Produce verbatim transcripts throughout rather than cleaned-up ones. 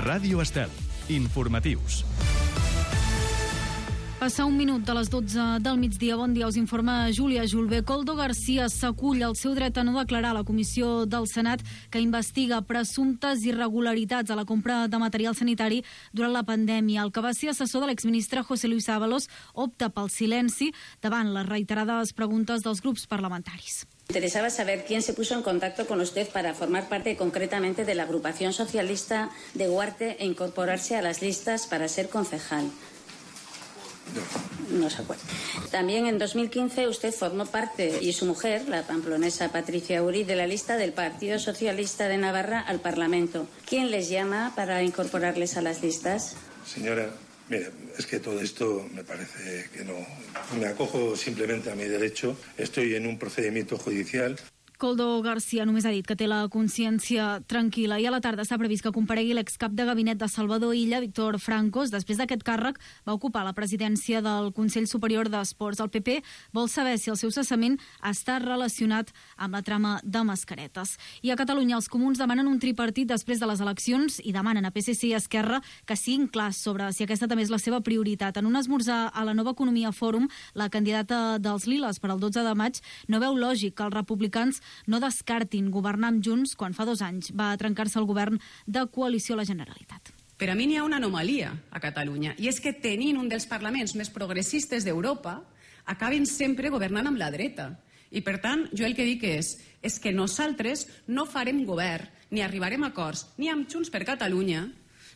Ràdio Estel. Informatius. Passa un minut de les dotze del migdia. Bon dia, us informa Júlia Julve. Koldo García s'acull al seu dret a no declarar a la comissió del Senat que investiga presumptes irregularitats a la compra de material sanitari durant la pandèmia. El que va ser assessor de l'exministre José Luis Ábalos opta pel silenci davant les reiterades preguntes dels grups parlamentaris. Interesaba saber quién se puso en contacto con usted para formar parte concretamente de la agrupación socialista de Huarte e incorporarse a las listas para ser concejal. No. No se acuerda. También en dos mil quince usted formó parte, y su mujer, la pamplonesa Patricia Uri, de la lista del Partido Socialista de Navarra al Parlamento. ¿Quién les llama para incorporarles a las listas? Señora, mira, es que todo esto me parece que no. Me acojo simplemente a mi derecho. Estoy en un procedimiento judicial. Koldo García només ha dit que té la consciència tranquil·la i a la tarda està previst que comparegui l'excap de gabinet de Salvador Illa, Víctor Francos. Després d'aquest càrrec va ocupar la presidència del Consell Superior d'Esports. El P P vol saber si el seu cessament està relacionat amb la trama de mascaretes. I a Catalunya els comuns demanen un tripartit després de les eleccions i demanen a P S C i Esquerra que siguin clars sobre si aquesta també és la seva prioritat. En un esmorzar a la Nova Economia Fòrum, la candidata dels Liles per al dotze de maig no veu lògic que els republicans no descartin governar amb Junts quan fa dos anys va trencar-se el govern de coalició a la Generalitat. Per a mi n'hi ha una anomalia a Catalunya, i és que tenint un dels parlaments més progressistes d'Europa, acaben sempre governant amb la dreta. I per tant, jo el que dic és, és que nosaltres no farem govern, ni arribarem a acords, ni amb Junts per Catalunya,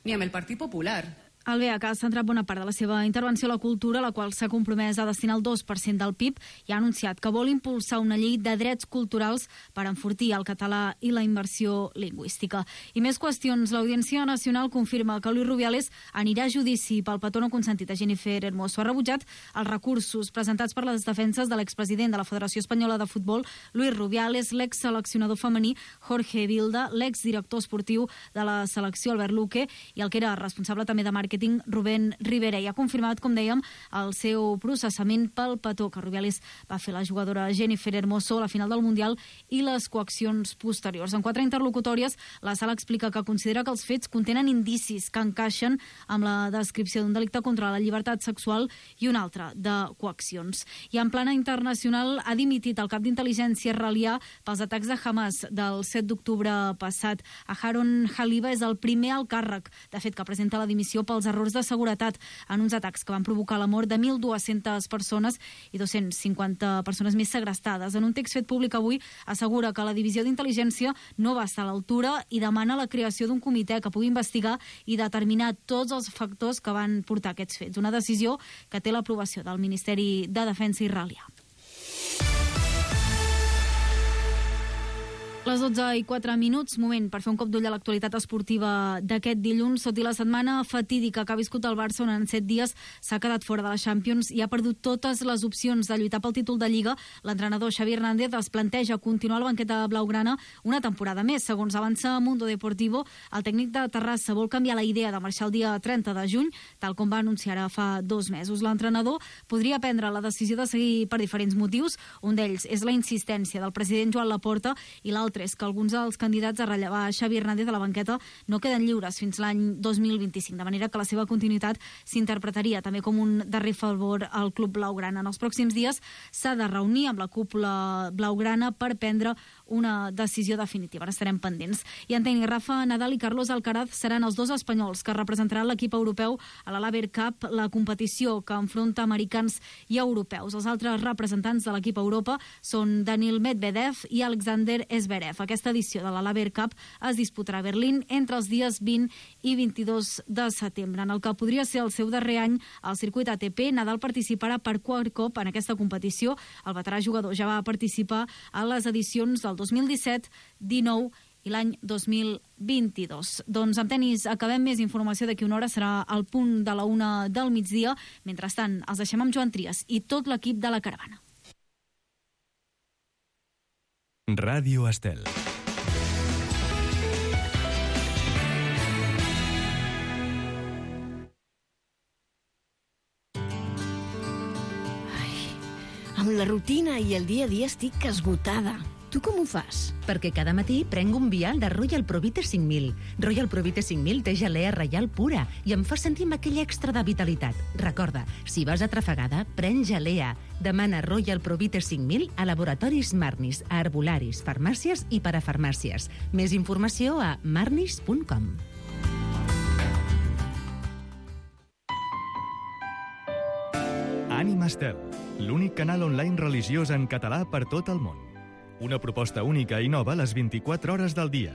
ni amb el Partit Popular. El B H ha centrat bona part de la seva intervenció a la cultura, la qual s'ha compromès a destinar el dos per cent del P I B i ha anunciat que vol impulsar una llei de drets culturals per enfortir el català i la immersió lingüística. I més qüestions. L'Audiència Nacional confirma que Luis Rubiales anirà a judici pel petó no consentit a Jennifer Hermoso. Ha rebutjat els recursos presentats per les defenses de l'expresident de la Federació Espanyola de Futbol, Luis Rubiales, l'exseleccionador femení Jorge Vilda, l'exdirector esportiu de la selecció Albert Luque i el que era responsable també de màrqueting Rubén Rivera, i ha confirmat, com dèiem, el seu processament pel petó que Rubiales va fer la jugadora Jennifer Hermoso a la final del Mundial i les coaccions posteriors. En quatre interlocutòries, la sala explica que considera que els fets contenen indicis que encaixen amb la descripció d'un delicte contra la llibertat sexual i un altre de coaccions. I en plana internacional ha dimitit el cap d'intel·ligència israelià pels atacs de Hamas del set d'octubre passat. Aharon Haliva és el primer al càrrec, de fet que presenta la dimissió pels errors de seguretat en uns atacs que van provocar la mort de mil dues-centes persones i dos-cents cinquanta persones més segrestades. En un text fet públic avui assegura que la divisió d'intel·ligència no va estar a l'altura i demana la creació d'un comitè que pugui investigar i determinar tots els factors que van portar aquests fets. Una decisió que té l'aprovació del Ministeri de Defensa israelià. Les dotze i quatre minuts, moment per fer un cop d'ull a l'actualitat esportiva d'aquest dilluns. Tot i la setmana fatídica que ha viscut el Barça, on en set dies s'ha quedat fora de la Champions i ha perdut totes les opcions de lluitar pel títol de Lliga, l'entrenador Xavi Hernández es planteja continuar al banquet de blaugrana una temporada més. Segons avança Mundo Deportivo, el tècnic de Terrassa vol canviar la idea de marxar el dia trenta de juny, tal com va anunciar ara fa dos mesos. L'entrenador podria prendre la decisió de seguir per diferents motius. Un d'ells és la insistència del president Joan Laporta i l'altre és que alguns dels candidats a rellevar Xavi Hernández a la banqueta no queden lliures fins l'any dos mil vint-i-cinc, de manera que la seva continuïtat s'interpretaria també com un darrer favor al club blaugrana. En els pròxims dies s'ha de reunir amb la cúpula blaugrana per prendre una decisió definitiva. Ara estarem pendents. I en tenis, Rafa Nadal i Carlos Alcaraz seran els dos espanyols que representaran l'equip europeu a la Laver Cup, la competició que enfronta americans i europeus. Els altres representants de l'equip Europa són Daniil Medvedev i Alexander Zverev. Aquesta edició de la Laver Cup es disputarà a Berlín entre els dies vint i vint-i-dos de setembre. En el que podria ser el seu darrer any al circuit A T P, Nadal participarà per quart cop en aquesta competició. El veterà jugador ja va participar a les edicions del dos mil disset, dinou i l'any dos mil vint-i-dos. Doncs amb tenis acabem. Més informació d'aquí una hora, serà al punt de la una del migdia. Mentrestant, els deixem amb Joan Trias i tot l'equip de la caravana. Ràdio Estel. Ai, amb la rutina i el dia a dia estic esgotada. Tu com ho fas? Perquè cada matí prenc un vial de Royal Provite cinc mil. Royal Provite cinc mil té gelea reial pura i em fa sentir amb aquell extra de vitalitat. Recorda, si vas atrafegada, pren gelea. Demana Royal Provite cinc mil a laboratoris Marnis, a herbolaris, farmàcies i parafarmàcies. Més informació a marnis punt com. Ànima Estel, l'únic canal online religiós en català per tot el món. Una proposta única i nova a les vint-i-quatre hores del dia.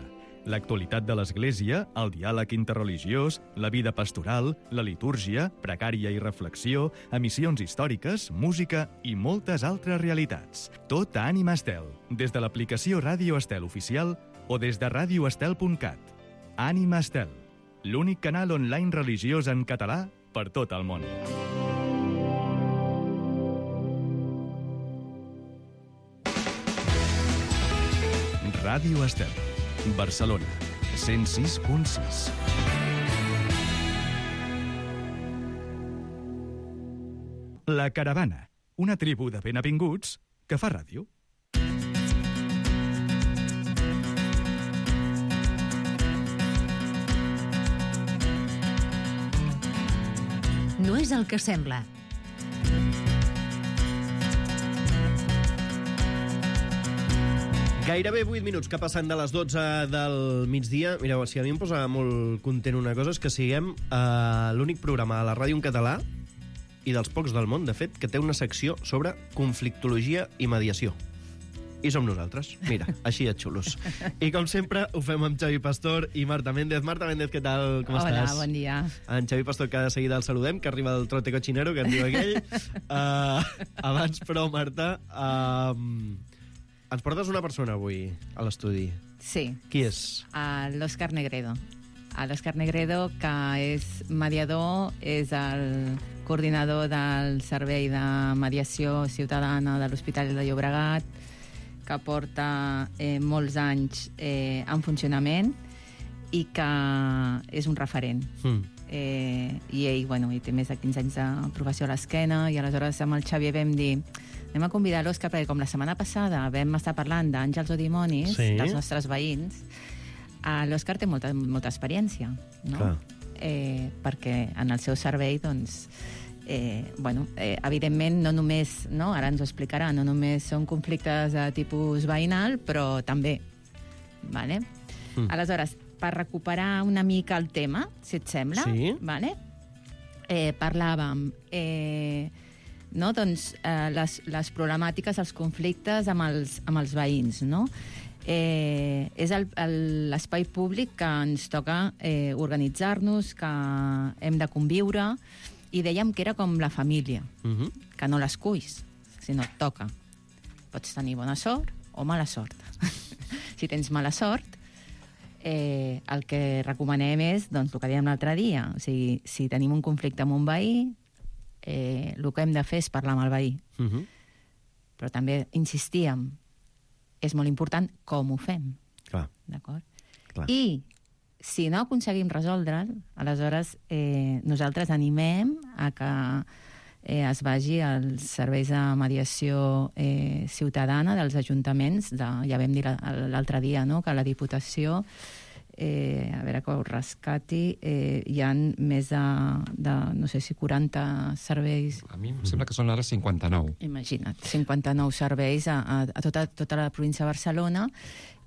L'actualitat de l'Església, el diàleg interreligiós, la vida pastoral, la litúrgia, precària i reflexió, emissions històriques, música i moltes altres realitats. Tot a Ànima Estel, des de l'aplicació Ràdio Estel Oficial o des de radio estel punt cat. Ànima Estel, l'únic canal online religiós en català per tot el món. Ràdio Estel, Barcelona, cent sis punt sis. La Caravana, una tribu de benavinguts que fa ràdio. No és el que sembla. Gairebé vuit minuts que passen de les dotze del migdia. Mireu, si a mi em posa molt content una cosa és que siguem uh, l'únic programa de la ràdio en català i dels pocs del món, de fet, que té una secció sobre conflictologia i mediació. I som nosaltres. Mira, així de xulos. I com sempre, ho fem amb Xavi Pastor i Marta Méndez. Marta Méndez, què tal? Com Hola, estàs? bon dia. En Xavi Pastor, que de seguida el saludem, que arriba del trote cochinero, que en diu aquell. Uh, abans, però, Marta... Uh, ens portes una persona avui a l'estudi. Sí. Qui és? Uh, L'Òscar Negredo. Uh, L'Òscar Negredo, que és mediador, és el coordinador del Servei de Mediació Ciutadana de l'Hospital de Llobregat, que porta eh, molts anys eh, en funcionament i que és un referent. Mm. Eh, I ell, bueno, ell té més de quinze anys de professió a l'esquena, i aleshores amb el Xavi vam dir anem a convidar l'Òscar, perquè com la setmana passada vam estar parlant d'àngels o dimonis, sí, dels nostres veïns, eh, l'Òscar té molta, molta experiència, no? Clar. Eh, perquè en el seu servei, doncs, eh, bueno, eh, evidentment no només, no, ara ens ho explicarà, no només són conflictes de tipus veïnal, però també, vale? Mm. Aleshores, per recuperar una mica el tema, si et sembla, sí, vale? eh, parlàvem... Eh, no? doncs, eh, les, les problemàtiques, els conflictes amb els, amb els veïns, no? Eh, és l'espai públic que ens toca eh, organitzar-nos, que hem de conviure, i dèiem que era com la família, uh-huh, que no l'esculls, sinó et toca. Pots tenir bona sort o mala sort. Si tens mala sort, eh, el que recomanem és, doncs, el que dèiem l'altre dia, o sigui, si tenim un conflicte amb un veí, Eh, el que hem de fer és parlar amb el veí. Uh-huh. Però també insistíem, és molt important com ho fem. Clar. D'acord? Clar. I si no aconseguim resoldre'l, aleshores eh, nosaltres animem a que eh, es vagi als serveis de mediació eh, ciutadana dels ajuntaments. De, ja vam dir l'altre dia, no?, que la Diputació, Eh, a veure que ho rescati, eh, hi ha més de, de, no sé si quaranta serveis. A mi em sembla que són ara cinquanta-nou. Imagina't, cinquanta-nou serveis a, a, a tota, tota la província de Barcelona,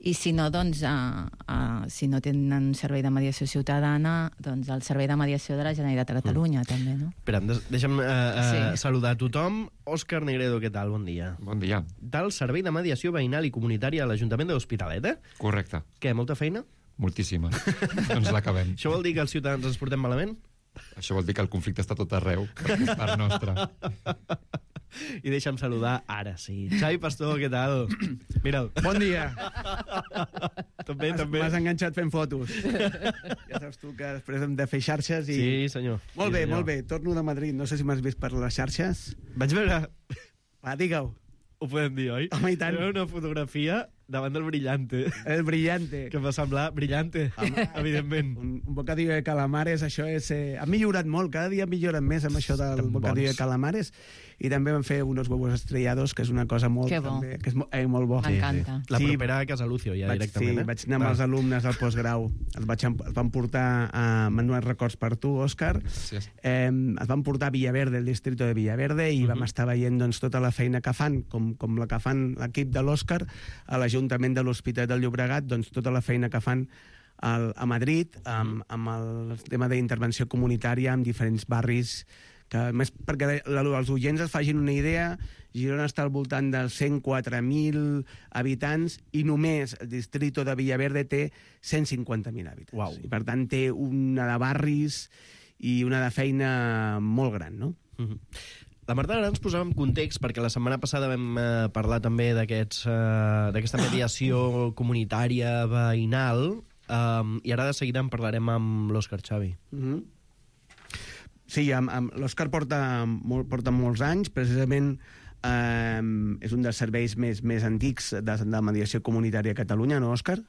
i si no, doncs, a, a, si no tenen un servei de mediació ciutadana, doncs el servei de mediació de la Generalitat de Catalunya, mm. també, no? Espera, deixa'm uh, uh, sí. saludar a tothom. Òscar Negredo, què tal? Bon dia. Bon dia. Del Servei de Mediació Veïnal i Comunitària a l'Ajuntament de l'Hospitalet, eh? Correcte. Què, molta feina? Moltíssima. Doncs l'acabem. Això vol dir que els ciutadans ens portem malament? Això vol dir que el conflicte està tot arreu, perquè és part nostra. I deixa'm saludar, ara sí. Xavi Pastor, què tal? Mira'l. Bon dia. També, també. M'has enganxat fent fotos. Ja saps tu que després hem de fer xarxes i... Sí, senyor. Molt sí, bé, senyor. molt bé. Torno de Madrid. No sé si m'has vist per les xarxes. Vaig veure... Va, digue-ho. Ho podem dir, oi? Home, i tant. Era una fotografia davant del Brillante. El Brillante. Que em va semblar Brillante, evidentment. Un, un bocadillo de calamares, això és... Eh, ha millorat molt, cada dia milloren més amb això del Estan bocadillo bons. de calamares. I també vam fer unos huevos estrellados, que és una cosa molt... Que bo. També, que és mo, eh, molt bo. M'encanta. La Sí. propera a Casa Lucio, ja Vaig, directament. sí, eh? vaig anar amb Va. els alumnes del postgrau. Els, vaig, em- els van portar a Manuel Records per tu, Òscar. Gràcies. Eh, els van portar a Villaverde, el distrito de Villaverde, i Mhm. vam estar veient doncs, tota la feina que fan, com, com la que fan l'equip de l'Òscar, a l'Ajuntament de l'Hospitalet del Llobregat, doncs tota la feina que fan al, a Madrid, amb, amb el tema d'intervenció comunitària en diferents barris, que més perquè la- els oients es facin una idea, Girona està al voltant dels cent quatre mil habitants i només el distrito de Villaverde té cent cinquanta mil habitants. Uau. I per tant té una de barris i una de feina molt gran, no? Mhm. La Marta ara ens posava en context, perquè la setmana passada vam eh, parlar també d'aquests, eh, d'aquesta mediació comunitària veïnal, eh, i ara de seguida en parlarem amb l'Òscar Xavi. Mhm. Sí, amb, amb, l'Òscar porta, molt, porta molts anys, precisament eh, és un dels serveis més, més antics de, de mediació comunitària a Catalunya, no, Òscar?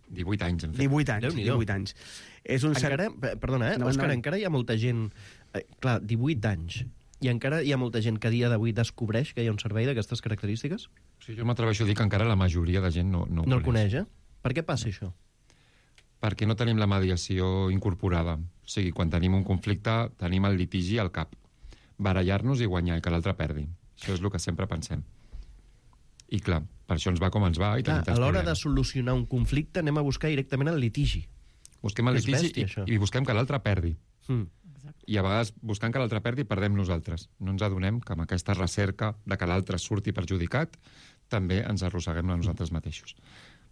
divuit anys hem fet. divuit anys, Déu-n'hi-do. divuit anys. És un ser- Encara, pe- perdona, eh, Endavant, Òscar, endavant. encara hi ha molta gent... Eh, clar, divuit anys. I encara hi ha molta gent que a dia d'avui descobreix que hi ha un servei d'aquestes característiques? O sigui, jo m'atreveixo a dir que encara la majoria de gent no, no, ho No el coneix, eh? Per què passa això? Perquè no tenim la mediació incorporada. O sigui, quan tenim un conflicte, tenim el litigi al cap. Barallar-nos i guanyar, i que l'altre perdi. Això és el que sempre pensem. I clar, per això ens va com ens va i Clar, tenim a tants l'hora de problemes. solucionar un conflicte anem a buscar directament el litigi. Busquem el És litigi bèstia, això. i, i busquem que l'altre perdi. Mm. I a vegades, buscant que l'altre perdi, perdem nosaltres. No ens adonem que amb aquesta recerca de que l'altre surti perjudicat, també ens arrosseguem a nosaltres mateixos.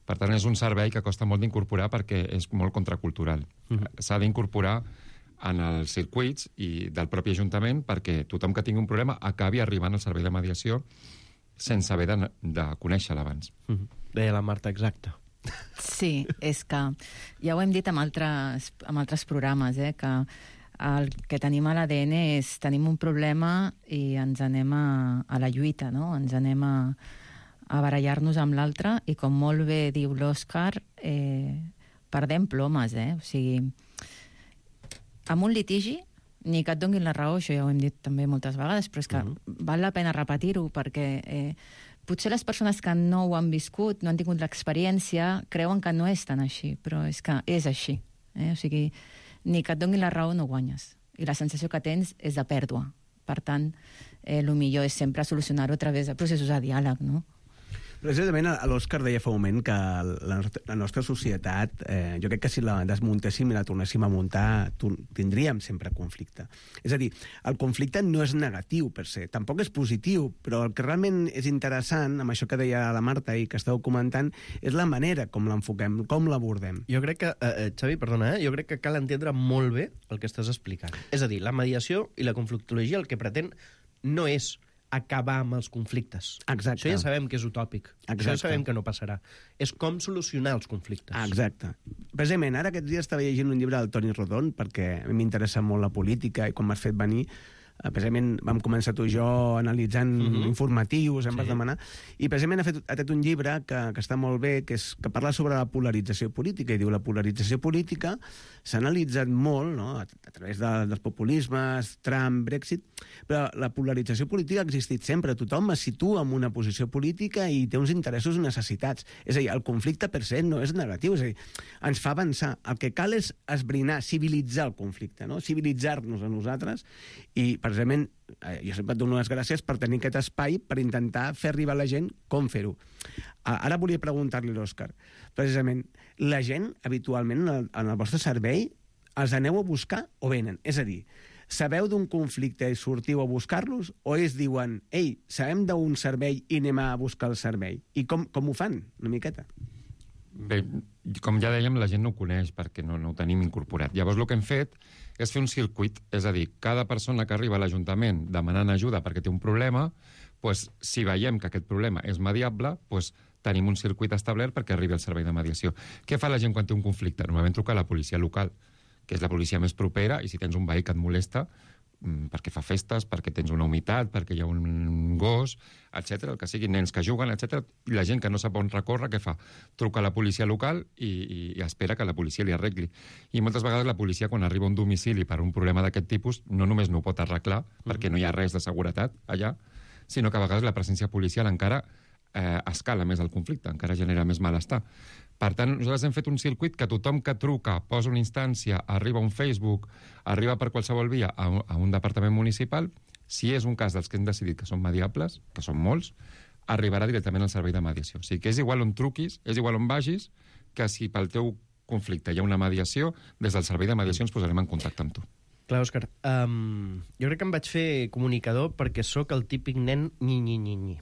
Per tant, és un servei que costa molt d'incorporar perquè és molt contracultural. Mhm. S'ha d'incorporar en els circuits i del propi Ajuntament perquè tothom que tingui un problema acabi arribant al servei de mediació sense haver de, de conèixer-la abans. Mhm. Deia la Marta, exacte. Sí, és que ja ho hem dit amb altres, amb altres programes, eh, que el que tenim a l'A D N és tenim un problema i ens anem a, a la lluita, no? Ens anem a, a barallar-nos amb l'altre i, com molt bé diu l'Òscar, eh, perdem plomes, eh? O sigui, amb un litigi, ni que et donguin la raó, això ja ho hem dit també moltes vegades, però és que Mhm. val la pena repetir-ho, perquè eh, potser les persones que no ho han viscut, no han tingut l'experiència, creuen que no és tan així, però és que és així. Eh? O sigui, ni que et donguin la raó no guanyes. I la sensació que tens és de pèrdua. Per tant, eh, el millor és sempre solucionar-ho a través de processos de diàleg, no? Precisament l'Òscar deia fa un moment que la nostra, la nostra societat, eh, jo crec que si la desmuntéssim i la tornéssim a muntar, tu- tindríem sempre conflicte. És a dir, el conflicte no és negatiu per se, tampoc és positiu, però el que realment és interessant, amb això que deia la Marta i que esteu comentant, és la manera com l'enfoquem, com l'abordem. Jo crec que, eh, eh, Xavi, perdona, eh? jo crec que cal entendre molt bé el que estàs explicant. És a dir, la mediació i la conflictologia el que pretén no és acabar amb els conflictes. Exacte. Això ja sabem que és utòpic. Exacte. Això ja sabem que no passarà. És com solucionar els conflictes. Ah, exacte. Precisament, ara aquests dies estava llegint un llibre del Toni Rodon, perquè a mi m'interessa molt la política, i quan m'has fet venir, eh, precisament vam començar tu i jo analitzant Mhm. informatius, em Sí. vas demanar, i precisament ha fet, ha fet un llibre que, que està molt bé, que, és, que parla sobre la polarització política, i diu la polarització política s'ha analitzat molt, no?, a, a través de, dels populismes, Trump, Brexit, però la polarització política ha existit sempre. Tothom es situa en una posició política i té uns interessos i necessitats. És a dir, el conflicte per se no és negatiu, és a dir, ens fa avançar. El que cal és esbrinar, civilitzar el conflicte, no? Civilitzar-nos a nosaltres, i precisament eh, jo sempre et dono les gràcies per tenir aquest espai per intentar fer arribar a la gent com fer-ho. Ah, ara volia preguntar-li a l'Òscar, precisament, la gent habitualment en el, en el vostre servei els aneu a buscar o venen? És a dir, sabeu d'un conflicte i sortiu a buscar-los, o ells diuen, ei, sabem d'un servei i anem a buscar el servei? I com, com ho fan, una miqueta? Bé, com ja dèiem, la gent no ho coneix perquè no, no ho tenim incorporat. Llavors, el que hem fet és fer un circuit, és a dir, cada persona que arriba a l'Ajuntament demanant ajuda perquè té un problema, doncs, si veiem que aquest problema és mediable, doncs, tenim un circuit establert perquè arribi al servei de mediació. Què fa la gent quan té un conflicte? Normalment truca a la policia local, que és la policia més propera, i si tens un veí que et molesta, perquè fa festes, perquè tens una humitat, perquè hi ha un gos, etcètera, el que sigui, nens que juguen, etcètera, i la gent que no sap on recórrer, què fa? Truca a la policia local i, i, i espera que la policia li arregli. I moltes vegades la policia, quan arriba a un domicili per un problema d'aquest tipus, no només no ho pot arreglar, mm-hmm. perquè no hi ha res de seguretat allà, sinó que a vegades la presència policial encara eh, escala més el conflicte, encara genera més malestar. Per tant, nosaltres hem fet un circuit que tothom que truca, posa una instància, arriba a un Facebook, arriba per qualsevol via a un, a un departament municipal, si és un cas dels que hem decidit que són mediables, que són molts, arribarà directament al servei de mediació. O sigui que és igual on truquis, és igual on vagis, que si pel teu conflicte hi ha una mediació, des del servei de mediació ens posarem en contacte amb tu. Clar, Òscar, um, jo crec que em vaig fer comunicador perquè sóc el típic nen nyi-nyi-nyi-nyi.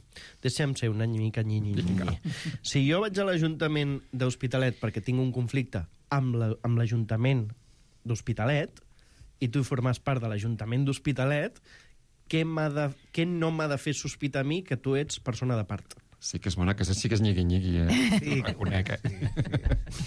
Deixa'm ser una mica nyi-nyi-nyi-nyi. Si jo vaig a l'Ajuntament d'Hospitalet perquè tinc un conflicte amb l'Ajuntament d'Hospitalet i tu formes part de l'Ajuntament d'Hospitalet, què, de, què no m'ha de fer sospitar a mi que tu ets persona de part? Sí que és bona, que sí que és nyigui-nyigui, eh? Sí. Ho reconec, eh? Sí.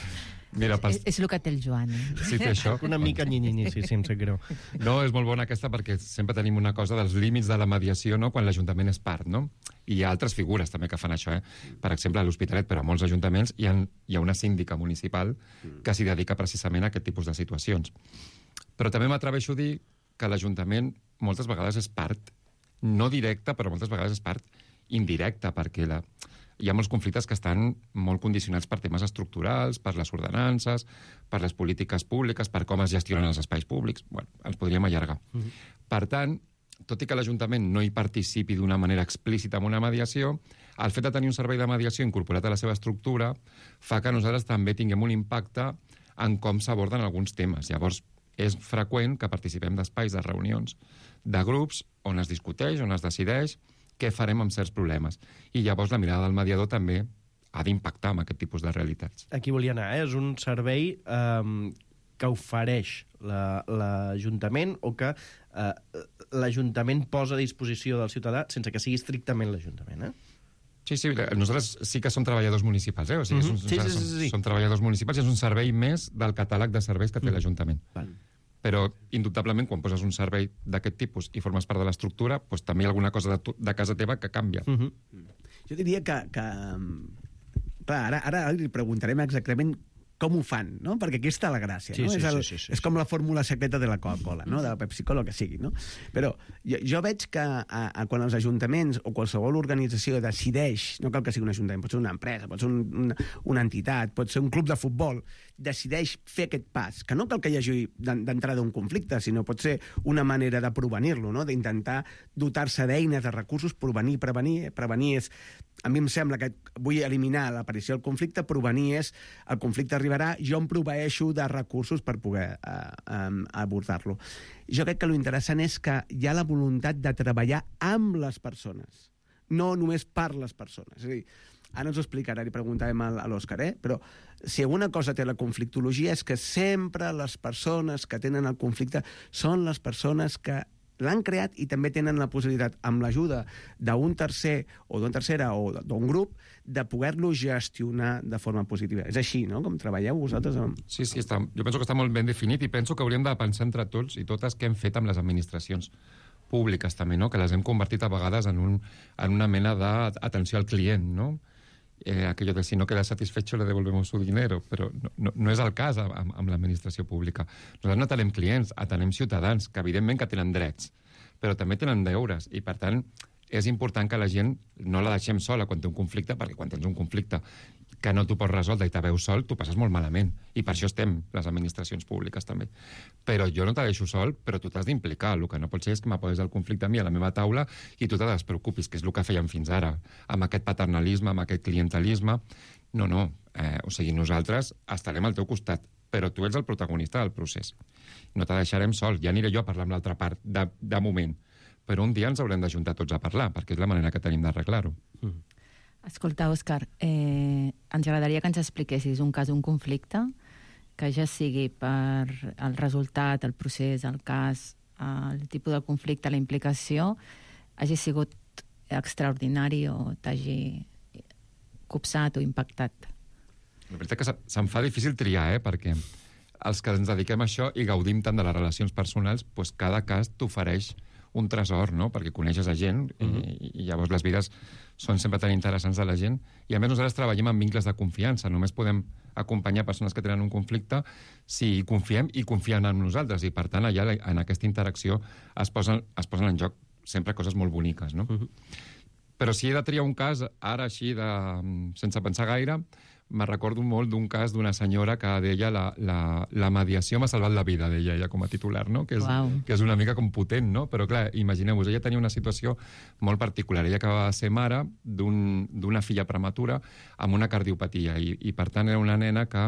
Mira, pas... és, és el que té el Joan. Eh? Sí, té això. Una mica nyi-nyi-nyi, sí, sí, em sap greu. No, és molt bona aquesta perquè sempre tenim una cosa dels límits de la mediació, no?, quan l'Ajuntament és part, no? I hi ha altres figures també que fan això, eh? Per exemple, a l'Hospitalet, però a molts ajuntaments, hi ha, hi ha una síndica municipal que s'hi dedica precisament a aquest tipus de situacions. Però també m'atreveixo a dir que l'Ajuntament moltes vegades és part, no directa, però moltes vegades és part indirecta, perquè la... hi ha molts conflictes que estan molt condicionats per temes estructurals, per les ordenances, per les polítiques públiques, per com es gestionen els espais públics. Bueno, ens podríem allargar. Mm-hmm. Per tant, tot i que l'Ajuntament no hi participi d'una manera explícita en una mediació, el fet de tenir un servei de mediació incorporat a la seva estructura fa que nosaltres també tinguem un impacte en com s'aborden alguns temes. Llavors, és freqüent que participem d'espais, de reunions, de grups on es discuteix, on es decideix què farem amb certs problemes. I llavors la mirada del mediador també ha d'impactar amb aquest tipus de realitats. Aquí volia anar, eh? És un servei eh, que ofereix l'Ajuntament o que eh, l'Ajuntament posa a disposició del ciutadà sense que sigui estrictament l'Ajuntament, eh? Sí, sí, nosaltres sí que som treballadors municipals, eh? O sigui, mm-hmm. som, sí, sí, sí, sí. Som, som treballadors municipals i és un servei més del catàleg de serveis que té mm. l'Ajuntament. Val. Però, indubtablement, quan poses un servei d'aquest tipus i formes part de l'estructura, doncs, també hi ha alguna cosa de, tu, de casa teva que canvia. Mm-hmm. Jo diria que... que clar, ara, ara li preguntarem exactament com ho fan, no? Perquè aquí està la gràcia, sí, no? Sí, és, el, sí, sí, sí, és com la fórmula secreta de la Coca-Cola, no? De la Pepsi-Cola, el que sigui, no? Però jo, jo veig que a, a, quan els ajuntaments o qualsevol organització decideix, no cal que sigui un ajuntament, pot ser una empresa, pot ser un, una, una entitat, pot ser un club de futbol, decideix fer aquest pas, que no cal que hi hagi d'entrada un conflicte, sinó pot ser una manera de prevenir-lo, no? D'intentar dotar-se d'eines, de recursos, prevenir, prevenir. Prevenir és... A mi em sembla que vull eliminar l'aparició del conflicte, prevenir és el conflicte arribarà, jo em proveeixo de recursos per poder eh, eh, abordar-lo. Jo crec que l'interessant és que hi ha la voluntat de treballar amb les persones, no només per les persones. És a dir, ara ens ho explicarà, li preguntarem a l'Òscar, eh? Però si alguna cosa té la conflictologia és que sempre les persones que tenen el conflicte són les persones que l'han creat i també tenen la possibilitat, amb l'ajuda d'un tercer o d'una tercera o d'un grup, de poder-lo gestionar de forma positiva. És així, no?, com treballeu vosaltres amb... Sí, sí, està, jo penso que està molt ben definit i penso que hauríem de pensar entre tots i totes què hem fet amb les administracions públiques també, no?, que les hem convertit a vegades en, un, en una mena d'atenció al client, no?, Eh, aquello de si no queda satisfecho le devolvemos su dinero, però no, no, no és el cas amb, amb l'administració pública. Nosaltres no atenem clients, atenem ciutadans, que evidentment que tenen drets, però també tenen deures, i per tant és important que la gent no la deixem sola quan té un conflicte, perquè quan tens un conflicte que no t'ho pots resoldre i te veus sol, t'ho passes molt malament. I per això estem, les administracions públiques també. Però jo no te deixo sol, però tu t'has d'implicar. El que no pot ser és que m'aposis el conflicte a mi a la meva taula i tu te despreocupis, que és el que fèiem fins ara, amb aquest paternalisme, amb aquest clientelisme. No, no. Eh, o sigui, nosaltres estarem al teu costat, però tu ets el protagonista del procés. No te deixarem sol. Ja aniré jo a parlar amb l'altra part, de, de moment. Però un dia ens haurem d'ajuntar tots a parlar, perquè és la manera que tenim d'arreglar-ho. Mm. Escolta, Òscar, eh, ens agradaria que ens expliquessis un cas, un conflicte, que ja sigui per el resultat, el procés, el cas, el tipus de conflicte, la implicació, hagi sigut extraordinari o t'hagi copsat o impactat. La veritat que se'm fa difícil triar, eh? Perquè els que ens dediquem a això i gaudim tant de les relacions personals, doncs cada cas t'ofereix un tresor, no? Perquè coneixes a gent uh-huh. i, i llavors les vides són sempre tan interessants de la gent. I a més nosaltres treballem en vincles de confiança. Només podem acompanyar persones que tenen un conflicte si confiem i confien en nosaltres. I per tant, allà en aquesta interacció es posen, es posen en joc sempre coses molt boniques, no? Uh-huh. Però si he de triar un cas, ara així, de, sense pensar gaire, me recordo molt d'un cas d'una senyora que deia la, la, la mediació m'ha salvat la vida, deia ella com a titular, no? Que és, wow. que és una mica com potent, no? Però clar, imagineu-vos, ella tenia una situació molt particular. Ella acabava de ser mare d'una un, filla prematura amb una cardiopatia i, i per tant era una nena que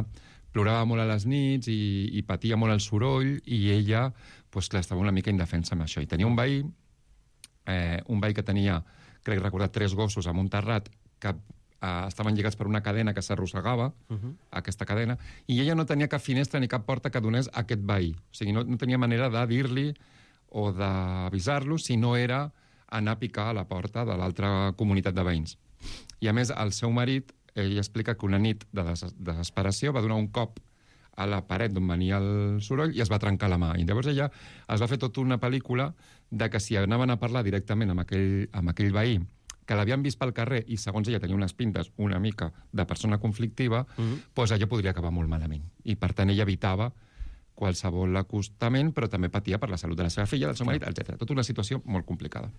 plorava molt a les nits i, i patia molt el soroll i ella, doncs clar, estava una mica indefensa amb això. I tenia un veí, eh, un veí que tenia, crec recordar, tres gossos amb un terrat que Uh, estaven lligats per una cadena que s'arrossegava, uh-huh. aquesta cadena, i ella no tenia cap finestra ni cap porta que donés a aquest veí. O sigui, no, no tenia manera de dir-li o d'avisar-lo si no era anar a picar a la porta de l'altra comunitat de veïns. I a més, el seu marit, ell explica que una nit de des desesperació va donar un cop a la paret d'on venia el soroll i es va trencar la mà. I llavors ella es va fer tota una pel·lícula de que si anaven a parlar directament amb aquell, amb aquell veí que l'havien vist pel carrer i, segons ella, tenia unes pintes una mica de persona conflictiva, uh-huh. doncs allò podria acabar molt malament. I, per tant, ella evitava qualsevol acostament, però també patia per la salut de la seva filla, del seu marit, etcètera. Tota una situació molt complicada.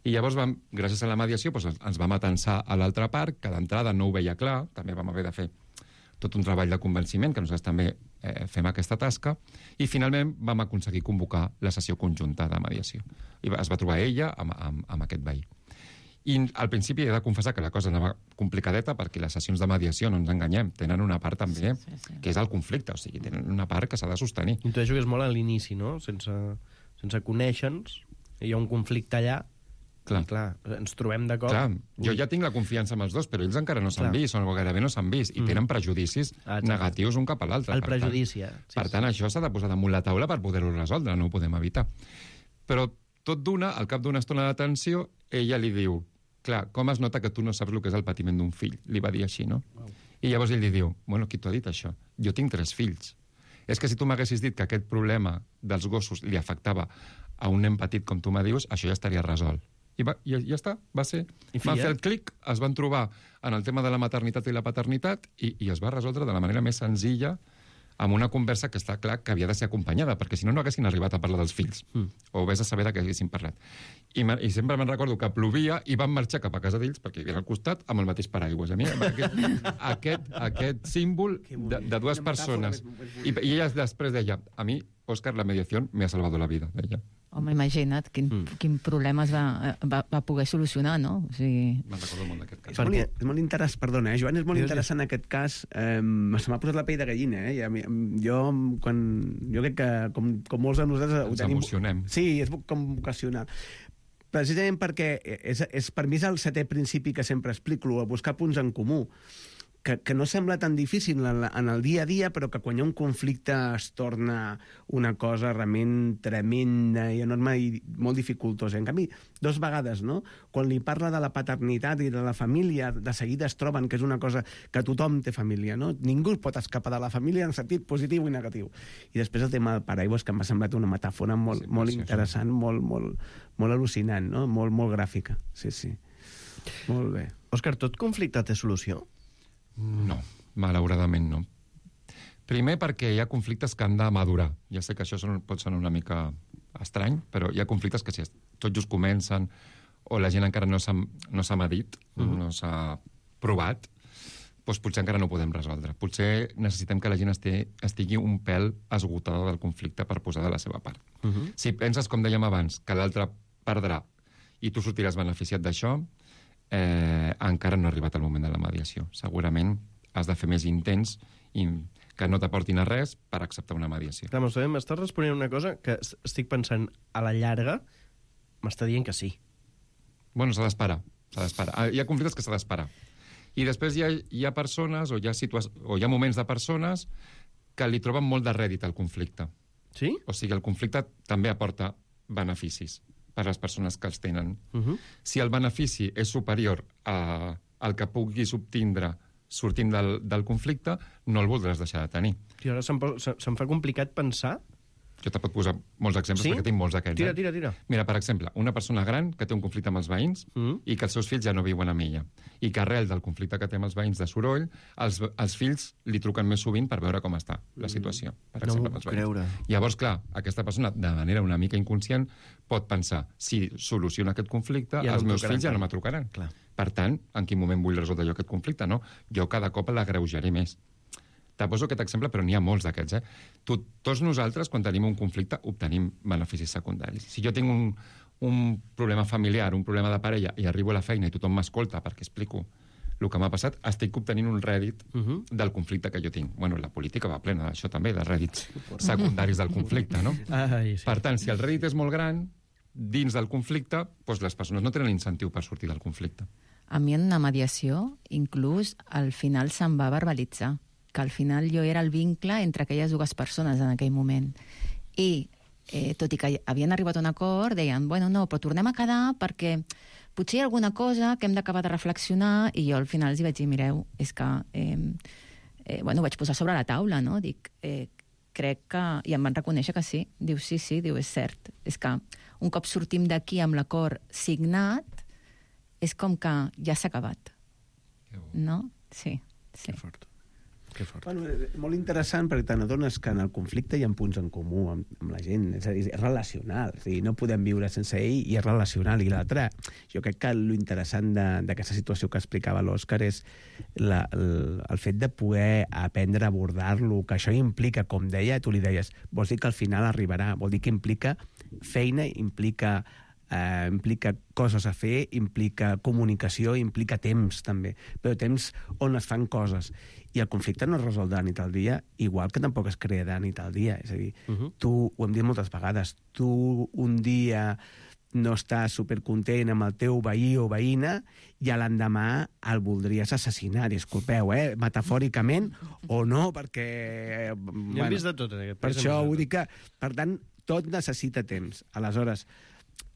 I llavors, vam, gràcies a la mediació, doncs, ens vam atensar a l'altra part, que d'entrada no ho veia clar, també vam haver de fer tot un treball de convenciment, que nosaltres també eh, fem aquesta tasca, i finalment vam aconseguir convocar la sessió conjunta de mediació. I es va trobar ella amb, amb, amb aquest veí. I al principi he de confessar que la cosa anava complicadeta perquè les sessions de mediació, no ens enganyem, tenen una part també sí, sí, sí. que és el conflicte, o sigui, tenen una part que s'ha de sostenir. Intueixo que és molt a l'inici, no? Sense, sense conèixer-nos, hi ha un conflicte allà, clar. I clar, ens trobem de cop... Clar, jo ja tinc la confiança amb els dos, però ells encara no s'han vist, o gairebé no s'han vist, i mm. tenen prejudicis ah, negatius un cap a l'altre. El prejudici, tant, sí, Per tant, sí. això s'ha de posar damunt la taula per poder-ho resoldre, no ho podem evitar. Però tot d'una, al cap d'una estona d'atenció, ella li diu, clar, com es nota que tu no saps el que és el patiment d'un fill? Li va dir així, no? Wow. I llavors ell li diu, bueno, qui t'ho ha dit això? Jo tinc tres fills. És que si tu m'haguessis dit que aquest problema dels gossos li afectava a un nen petit com tu me dius, això ja estaria resolt. I, va, i ja està, va ser. Van fer el clic, es van trobar en el tema de la maternitat i la paternitat i, i es va resoldre de la manera més senzilla amb una conversa que està clar que havia de ser acompanyada, perquè si no, no haguessin arribat a parlar dels fills. Mm. O vés a saber de què haguessin parlat. I, I sempre me'n recordo que plovia i van marxar cap a casa d'ells, perquè hi havia al costat, amb el mateix paraigües. A mi, aquest, aquest, aquest símbol de, de dues persones. I, I ella després deia, a mi, Òscar, la mediació me ha salvado la vida, deia. Home, imagina't quin, mm. quin problema es va, va, va poder solucionar, no? O sigui... Me'n recordo molt d'aquest cas. És molt, és molt interessant, perdona, eh, Joan, és molt interessant aquest cas. Eh, se m'ha posat la pell de gallina, eh? I jo, quan, jo crec que, com, com molts de nosaltres... Ens tenim... emocionem. Sí, és com vocacional. Precisament perquè és, és, per mi és el setè principi que sempre explico, a buscar punts en comú. Que, que no sembla tan difícil en, la, en el dia a dia, però que quan hi ha un conflicte es torna una cosa realment tremenda i enorme i molt dificultosa. En canvi, dos vegades, no? Quan li parla de la paternitat i de la família, de seguida es troben que és una cosa que tothom té família, no? Ningú pot escapar de la família en sentit positiu i negatiu. I després el tema del paraigües, que m'ha semblat una metàfora molt, sí, molt interessant, molt, molt, molt al·lucinant, no? Molt, molt gràfica. Sí, sí. Molt bé. Òscar, tot conflicte té solució? No, malauradament no. Primer perquè hi ha conflictes que han de madurar. Ja sé que això pot sonar una mica estrany, però hi ha conflictes que si tot just comencen o la gent encara no s'ha no s'ha medit, mm-hmm. no s'ha provat, doncs potser encara no ho podem resoldre. Potser necessitem que la gent estigui, estigui un pèl esgotada del conflicte per posar de la seva part. Mm-hmm. Si penses, com dèiem abans, que l'altre perdrà i tu sortiràs beneficiat d'això, Eh, encara no ha arribat el moment de la mediació. Segurament has de fer més intents i que no t'aportin a res per acceptar una mediació. Clar, m'estàs responent una cosa que estic pensant a la llarga, m'està dient que sí. Bueno, s'ha d'esperar. S'ha d'esperar. Hi ha conflictes que s'ha d'esperar. I després hi ha, hi ha persones o hi ha, o hi ha moments de persones que li troben molt de rèdit al conflicte. Sí? O sigui, el conflicte també aporta beneficis per a les persones que els tenen. Uh-huh. Si el benefici és superior a, al que puguis obtindre sortint del, del conflicte, no el voldràs deixar de tenir. I ara se'm, se, se'm fa complicat pensar... Jo te pot posar molts exemples, sí? Perquè tinc molts d'aquests. Tira, eh? tira, tira. Mira, per exemple, una persona gran que té un conflicte amb els veïns mm. i que els seus fills ja no viuen amb ella. I que arrel del conflicte que té amb els veïns de soroll, els, els fills li truquen més sovint per veure com està la situació. Per no exemple, m'ho puc creure. Llavors, clar, aquesta persona, de manera una mica inconscient, pot pensar, si soluciona aquest conflicte, ja els meus fills ja no me trucaran. Clar. Per tant, en quin moment vull resoldre jo aquest conflicte? No? Jo cada cop l'agreujaré més. Te poso aquest exemple, però n'hi ha molts d'aquests. Eh? Tot, tots nosaltres, quan tenim un conflicte, obtenim beneficis secundaris. Si jo tinc un, un problema familiar, un problema de parella, i arribo a la feina i tothom m'escolta perquè explico el que m'ha passat, estic obtenint un rèdit uh -huh. del conflicte que jo tinc. Bueno, la política va plena d'això també, de rèdits secundaris del conflicte, no? Ai, sí. Per tant, si el rèdit és molt gran, dins del conflicte, doncs les persones no tenen incentiu per sortir del conflicte. A mi en una mediació, inclús, al final se'm va verbalitzar que al final jo era el vincle entre aquelles dues persones en aquell moment. I, eh, tot i que havien arribat a un acord, deien, bueno, no, però tornem a quedar perquè potser hi ha alguna cosa que hem d'acabar de reflexionar, i jo al final els hi vaig dir, mireu, és que... Eh, eh, bueno, ho vaig posar sobre la taula, no? Dic, eh, crec que... I em van reconèixer que sí. Diu, sí, sí, diu, és cert. És que un cop sortim d'aquí amb l'acord signat, és com que ja s'ha acabat. No? Sí, sí. Que fort. Que fort. Bueno, és molt interessant perquè te n'adones que en el conflicte hi ha punts en comú amb, amb la gent, és a dir, és relacional, és a dir, no podem viure sense ell i és relacional. I l'altre, jo crec que l'interessant d'aquesta situació que explicava l'Òscar és la, el, el fet de poder aprendre a abordar-lo, que això implica, com deia, tu li deies, vols dir que al final arribarà, vol dir que implica feina, implica... Eh, implica coses a fer, implica comunicació, implica temps també, però temps on es fan coses, i el conflicte no es resol de nit al dia, igual que tampoc es crea de nit al dia, és a dir, uh -huh. tu, ho hem dit moltes vegades, tu un dia no estàs supercontent amb el teu veí o veïna i a l'endemà el voldries assassinar, disculpeu, eh? Metafòricament o no, perquè... Bueno, ja hem vist de tot en aquest per això vull dir que, per tant, tot necessita temps. Aleshores,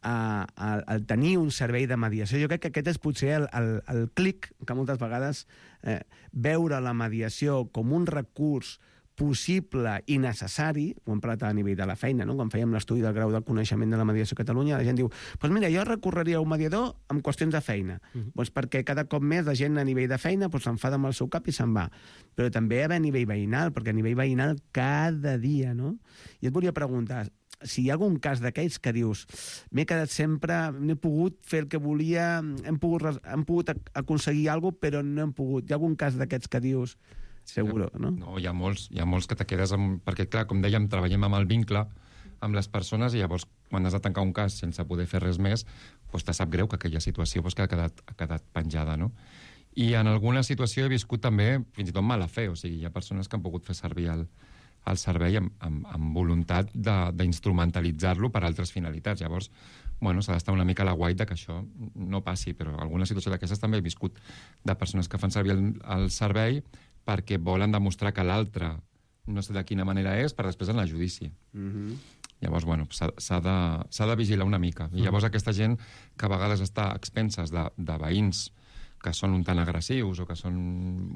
A, a, al tenir un servei de mediació, jo crec que aquest és potser el, el, el clic que moltes vegades eh, veure la mediació com un recurs possible i necessari, ho hem parlat a nivell de la feina, no? Quan fèiem l'estudi del grau de coneixement de la mediació a Catalunya, la gent diu, doncs mira, jo recorreria a un mediador amb qüestions de feina, uh -huh. doncs perquè cada cop més la gent a nivell de feina doncs s'enfada amb el seu cap i se'n va. Però també a nivell veïnal, perquè a nivell veïnal cada dia, no? I et volia preguntar, si hi ha algun cas d'aquells que dius m'he quedat sempre, no he pogut fer el que volia, hem pogut, hem pogut aconseguir alguna cosa, però no hem pogut. Hi ha algun cas d'aquests que dius seguro, no? No, hi ha molts, hi ha molts que te quedes amb... Perquè, clar, com dèiem, treballem amb el vincle amb les persones i llavors, quan has de tancar un cas sense poder fer res més, doncs te sap greu que aquella situació doncs, que ha quedat, ha quedat penjada, no? I en alguna situació he viscut també, fins i tot mala fe, o sigui, hi ha persones que han pogut fer servir el, el servei amb, amb, amb voluntat d'instrumentalitzar-lo per altres finalitats. Llavors, bueno, s'ha d'estar una mica a la guait que això no passi, però alguna situació d'aquestes també he viscut de persones que fan servir el, el servei perquè volen demostrar que l'altre no sé de quina manera és, per després anar a judici. Mm-hmm. Llavors, bueno, s'ha de, s'ha de vigilar una mica. I llavors aquesta gent que a vegades està a expenses de, de veïns que són un tant agressius o que són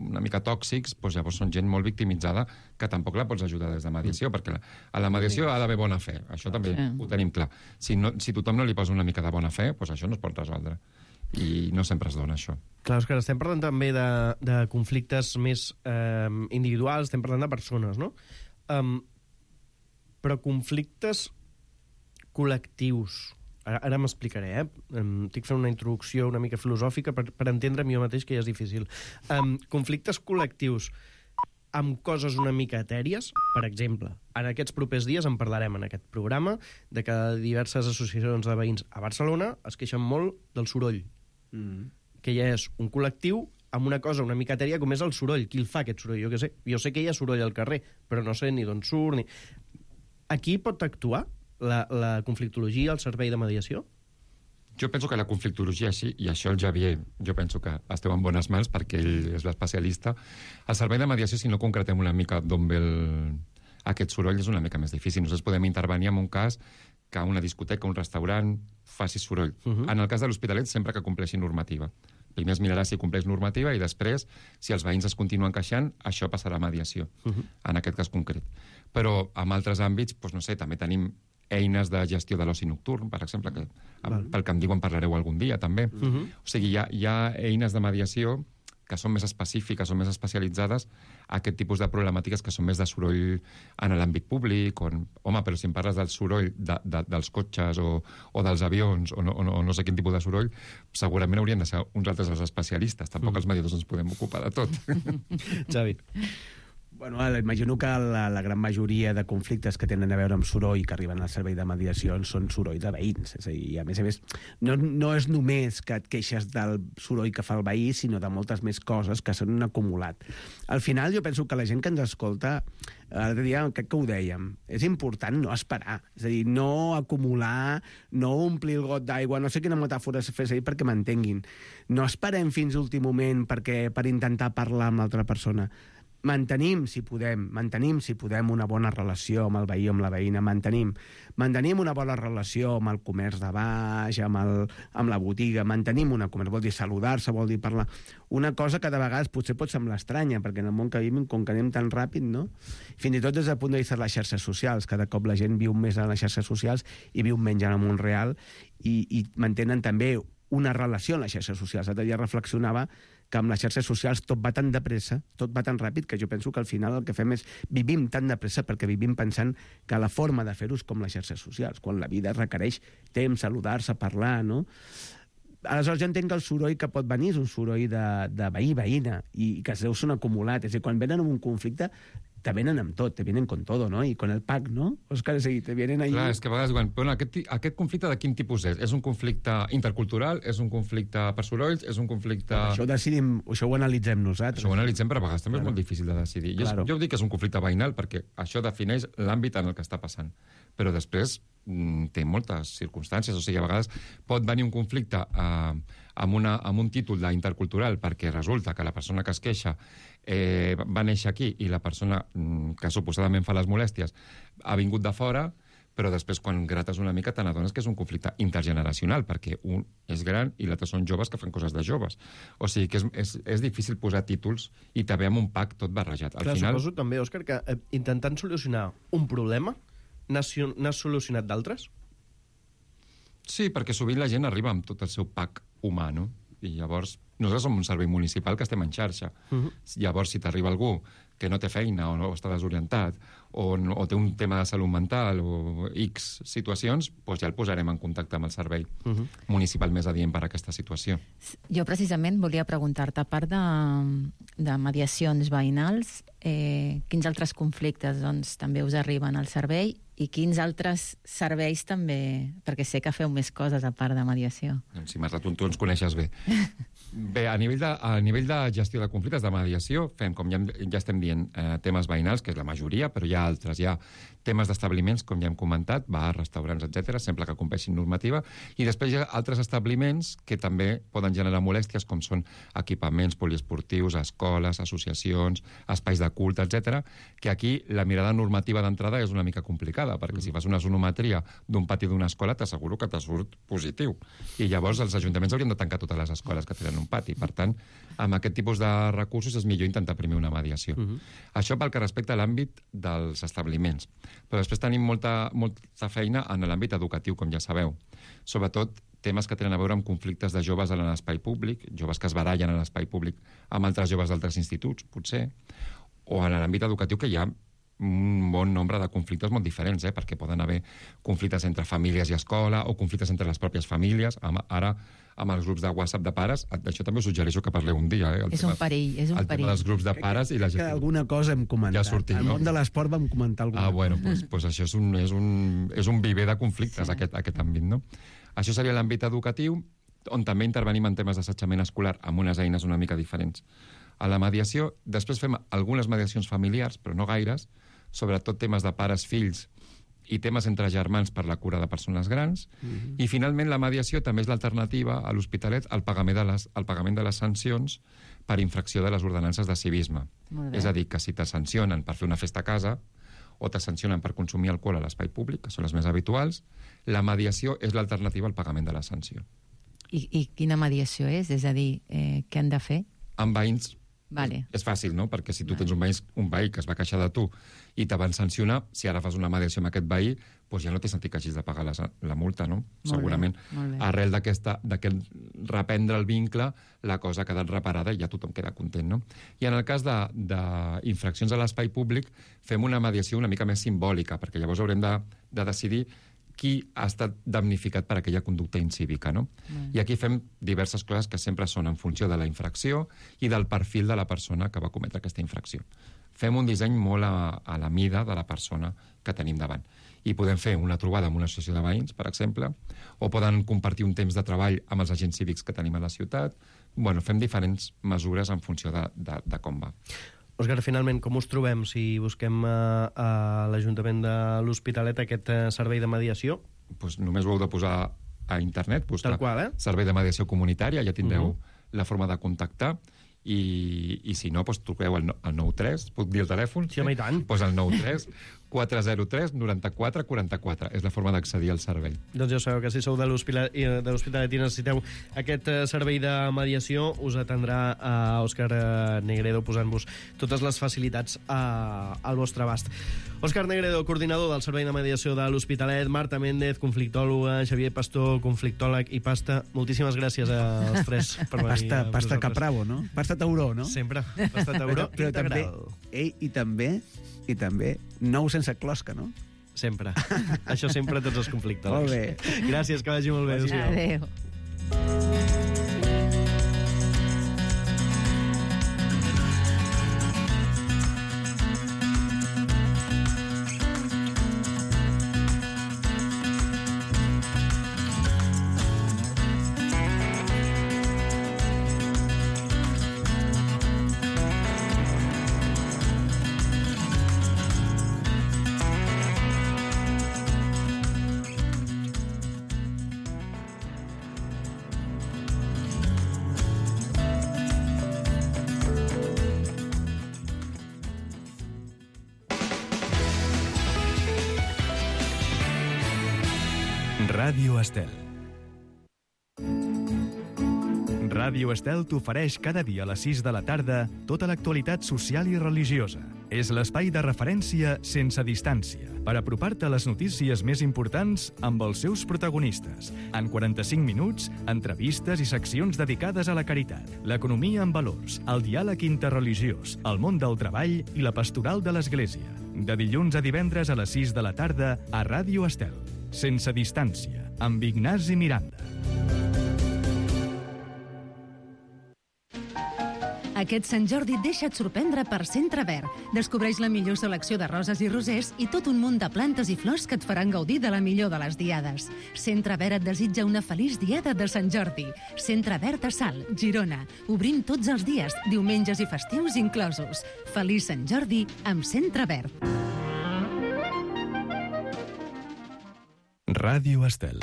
una mica tòxics, doncs llavors són gent molt victimitzada que tampoc la pots ajudar des de mediació, perquè la, a la mediació ha d'haver bona fe. Això també sí. Ho tenim clar. Si, no, si tothom no li posa una mica de bona fe, doncs això no es pot resoldre. I no sempre es dona, això. Clar, Òscar, estem parlant també de, de conflictes més eh, individuals, estem parlant de persones, no? Um, però conflictes col·lectius... Ara, ara m'explicaré, eh? Um, estic fent una introducció una mica filosòfica per, per entendre'm jo mateix que ja és difícil. Um, conflictes col·lectius amb coses una mica etèries, per exemple, en aquests propers dies en parlarem en aquest programa de que diverses associacions de veïns a Barcelona es queixen molt del soroll. Mm. Que ja és un col·lectiu amb una cosa una mica etèria com és el soroll. Qui el fa, aquest soroll? Jo què sé. Jo sé que hi ha soroll al carrer, però no sé ni d'on surt ni... Aquí pot actuar la, la conflictologia, el servei de mediació? Jo penso que la conflictologia, sí, i això el Javier, jo penso que esteu en bones mans perquè ell és l'especialista. El servei de mediació, si no concretem una mica d'on ve el, aquest soroll és una mica més difícil. Nosaltres podem intervenir en un cas que una discoteca, un restaurant, faci soroll. Uh-huh. En el cas de l'Hospitalet, sempre que compleixi normativa. Primer es mirarà si compleix normativa i després, si els veïns es continuen queixant, això passarà a mediació, uh-huh. en aquest cas concret. Però en altres àmbits, doncs, no sé, també tenim eines de gestió de l'oci nocturn, per exemple, que Val. pel que em diuen parlareu algun dia, també. Uh-huh. O sigui, hi ha, hi ha eines de mediació que són més específiques, són més especialitzades a aquest tipus de problemàtiques que són més de soroll en l'àmbit públic. On, home, però si em parles del soroll de, de, dels cotxes o, o dels avions o no, o, no, o no sé quin tipus de soroll, segurament haurien de ser uns altres els especialistes. Tampoc mm. els mediadors ens podem ocupar de tot. Xavi. Bueno, imagino que la, la gran majoria de conflictes que tenen a veure amb soroll que arriben al servei de mediació són soroll de veïns. És a dir, a més a més, no, no és només que et queixes del soroll que fa el veí, sinó de moltes més coses que s'han acumulat. Al final, jo penso que la gent que ens escolta, l'altre dia, crec que ho dèiem, és important no esperar. És a dir, no acumular, no omplir el got d'aigua, no sé quina metàfora se fes ahir perquè m'entenguin. No esperem fins l'últim moment perquè, per intentar parlar amb l'altra persona. Mantenim, si podem, mantenim, si podem, una bona relació amb el veí o amb la veïna, mantenim. Mantenim una bona relació amb el comerç de baix, amb, el, amb la botiga, mantenim una comerç, vol dir saludar-se, vol dir parlar. Una cosa que de vegades potser pot semblar estranya, perquè en el món que vivim, com que anem tan ràpid, no? Fins i tot des del punt de vista de les xarxes socials, cada cop la gent viu més en les xarxes socials i viu menys en el món real, i, i mantenen també una relació en les xarxes socials. L'altre dia reflexionava que amb les xarxes socials tot va tan de pressa, tot va tan ràpid, que jo penso que al final el que fem és vivim tan de pressa perquè vivim pensant que la forma de fer-ho és com les xarxes socials, quan la vida requereix temps, saludar-se, parlar, no? Aleshores jo entenc que el soroll que pot venir és un soroll de, de veí-veïna i que es deu ser un acumulat. És a dir, quan venen en un conflicte te venen amb tot, te vienen con todo, ¿no? I con el pack, ¿no? Òscar, és a dir, te vienen ahí... Clar, és que a vegades diuen, però aquest, aquest conflicte de quin tipus és? És un conflicte intercultural? És un conflicte per sorolls? És un conflicte... Però això ho decidim, això ho analitzem nosaltres. Això ho analitzem, però a vegades també claro. És molt difícil de decidir. Claro. Jo, jo dic que és un conflicte veïnal perquè això defineix l'àmbit en el que està passant. Però després mm, té moltes circumstàncies. O sigui, a vegades pot venir un conflicte eh, amb, una, amb un títol d'intercultural perquè resulta que la persona que es queixa eh, va néixer aquí i la persona mm, que suposadament fa les molèsties ha vingut de fora, però després quan grates una mica te n'adones que és un conflicte intergeneracional, perquè un és gran i l'altre són joves que fan coses de joves. O sigui que és, és, és difícil posar títols i també amb un pack tot barrejat. Al Clar, final... suposo també, Òscar, que eh, intentant solucionar un problema n'has solucionat d'altres? Sí, perquè sovint la gent arriba amb tot el seu pack humà, no? I llavors, nosaltres som un servei municipal que estem en xarxa. Uh-huh. Llavors, si t'arriba algú que no té feina o no està desorientat o, no, o té un tema de salut mental o X situacions, doncs ja el posarem en contacte amb el servei uh-huh. municipal més adient per a aquesta situació. Jo precisament volia preguntar-te, a part de, de mediacions veïnals, eh, quins altres conflictes doncs, també us arriben al servei i quins altres serveis també, perquè sé que feu més coses a part de mediació. Doncs si Marta, tu, tu ens coneixes bé. Bé, a nivell, de, a nivell de gestió de conflictes de mediació, fem, com ja, ja estem dient, eh, temes veïnals, que és la majoria, però hi ha altres. Hi ha temes d'establiments, com ja hem comentat, bars, restaurants, etcètera, sempre que compleixin normativa, i després hi ha altres establiments que també poden generar molèsties, com són equipaments poliesportius, escoles, associacions, espais de culte, etcètera, que aquí la mirada normativa d'entrada és una mica complicada, perquè si fas una sonometria d'un pati d'una escola t'asseguro que te surt positiu. I llavors els ajuntaments haurien de tancar totes les escoles que tenen un pati. Per tant, amb aquest tipus de recursos és millor intentar primer una mediació. Uh-huh. Això pel que respecta a l'àmbit dels establiments. Però després tenim molta, molta feina en l'àmbit educatiu, com ja sabeu. Sobretot temes que tenen a veure amb conflictes de joves en l'espai públic, joves que es barallen en l'espai públic amb altres joves d'altres instituts, potser, o en l'àmbit educatiu que hi ha un bon nombre de conflictes molt diferents, eh? Perquè poden haver conflictes entre famílies i escola o conflictes entre les pròpies famílies. Ara, amb els grups de WhatsApp de pares, d'això també us suggereixo que parleu un dia. Eh? El és tema, un perill, és un el perill. El tema dels grups de pares i la gent... Que alguna cosa hem comentat. Ja ha sortit, Al no? món de l'esport vam comentar alguna cosa. Ah, bueno, doncs pues, pues això és un, és, un, és un viver de conflictes, sí. aquest, aquest àmbit, no? Això seria l'àmbit educatiu, on també intervenim en temes d'assetjament escolar amb unes eines una mica diferents. A la mediació, després fem algunes mediacions familiars, però no gaires, sobretot temes de pares, fills i temes entre germans per la cura de persones grans. Uh-huh. I, finalment, la mediació també és l'alternativa a l'Hospitalet al pagament de les, al pagament de les sancions per infracció de les ordenances de civisme. És a dir, que si te sancionen per fer una festa a casa o te sancionen per consumir alcohol a l'espai públic, que són les més habituals. La mediació és l'alternativa al pagament de la sanció. I, i quina mediació és? És a dir, eh, què han de fer? Amb veïns Vale. és fàcil, no? Perquè si tu tens un veí, un veí que es va queixar de tu i te van sancionar, si ara fas una mediació amb aquest veí, doncs ja no té sentit que hagis de pagar la, la multa, no? Molt Segurament. bé, molt bé. Arrel d'aquesta, d'aquest reprendre el vincle, la cosa ha quedat reparada i ja tothom queda content, no? I en el cas d'infraccions a l'espai públic, fem una mediació una mica més simbòlica, perquè llavors haurem de, de decidir qui ha estat damnificat per aquella conducta incívica, no? Mm. I aquí fem diverses coses que sempre són en funció de la infracció i del perfil de la persona que va cometre aquesta infracció. Fem un disseny molt a, a la mida de la persona que tenim davant. I podem fer una trobada amb una associació de veïns, per exemple, o poden compartir un temps de treball amb els agents cívics que tenim a la ciutat. Bueno, fem diferents mesures en funció de, de, de com va. Òscar, finalment, com us trobem si busquem a, a l'Ajuntament de l'Hospitalet aquest uh, servei de mediació? Pues només ho heu de posar a internet, buscar Tal qual, eh? servei de mediació comunitària, ja tindreu Uh-huh. la forma de contactar, i, i si no, pues, truqueu al, al nou tres, puc dir el telèfon? Sí, home, i tant. Pues al nou tres quatre zero tres noranta-quatre quaranta-quatre. És la forma d'accedir al servei. Doncs ja sabeu que si sou de l'Hospitalet i necessiteu aquest uh, servei de mediació, us atendrà a uh, Òscar uh, Negredo posant-vos totes les facilitats uh, al vostre abast. Òscar Negredo, coordinador del Servei de Mediació de l'Hospitalet, Marta Méndez, conflictòloga, Xavier Pastor, conflictòleg, i Pasta. Moltíssimes gràcies als tres per venir. Pasta, pasta Capravo, no? Pasta Tauró, no? Sempre. Pasta Tauró però també, integral. ei, i també, i també, nou sense closca, no? Sempre. Això sempre tots els conflictòlegs. Molt bé. Gràcies, que vagi molt bé. Adéu. Ràdio Estel. Ràdio Estel t'ofereix cada dia a les sis de la tarda tota l'actualitat social i religiosa. És l'espai de referència sense distància, per apropar-te a les notícies més importants amb els seus protagonistes. En quaranta-cinc minuts, entrevistes i seccions dedicades a la caritat, l'economia amb valors, el diàleg interreligiós, el món del treball i la pastoral de l'Església. De dilluns a divendres a les sis de la tarda a Ràdio Estel. Sense distància, amb Ignasi Miranda. Aquest Sant Jordi deixa't sorprendre per Centre Verd. Descobreix la millor selecció de roses i rosers i tot un munt de plantes i flors que et faran gaudir de la millor de les diades. Centre Verd et desitja una feliç diada de Sant Jordi. Centre Verd a Salt, Girona. Obrim tots els dies, diumenges i festius inclosos. Feliç Sant Jordi amb Centre Verd. Ràdio Estel.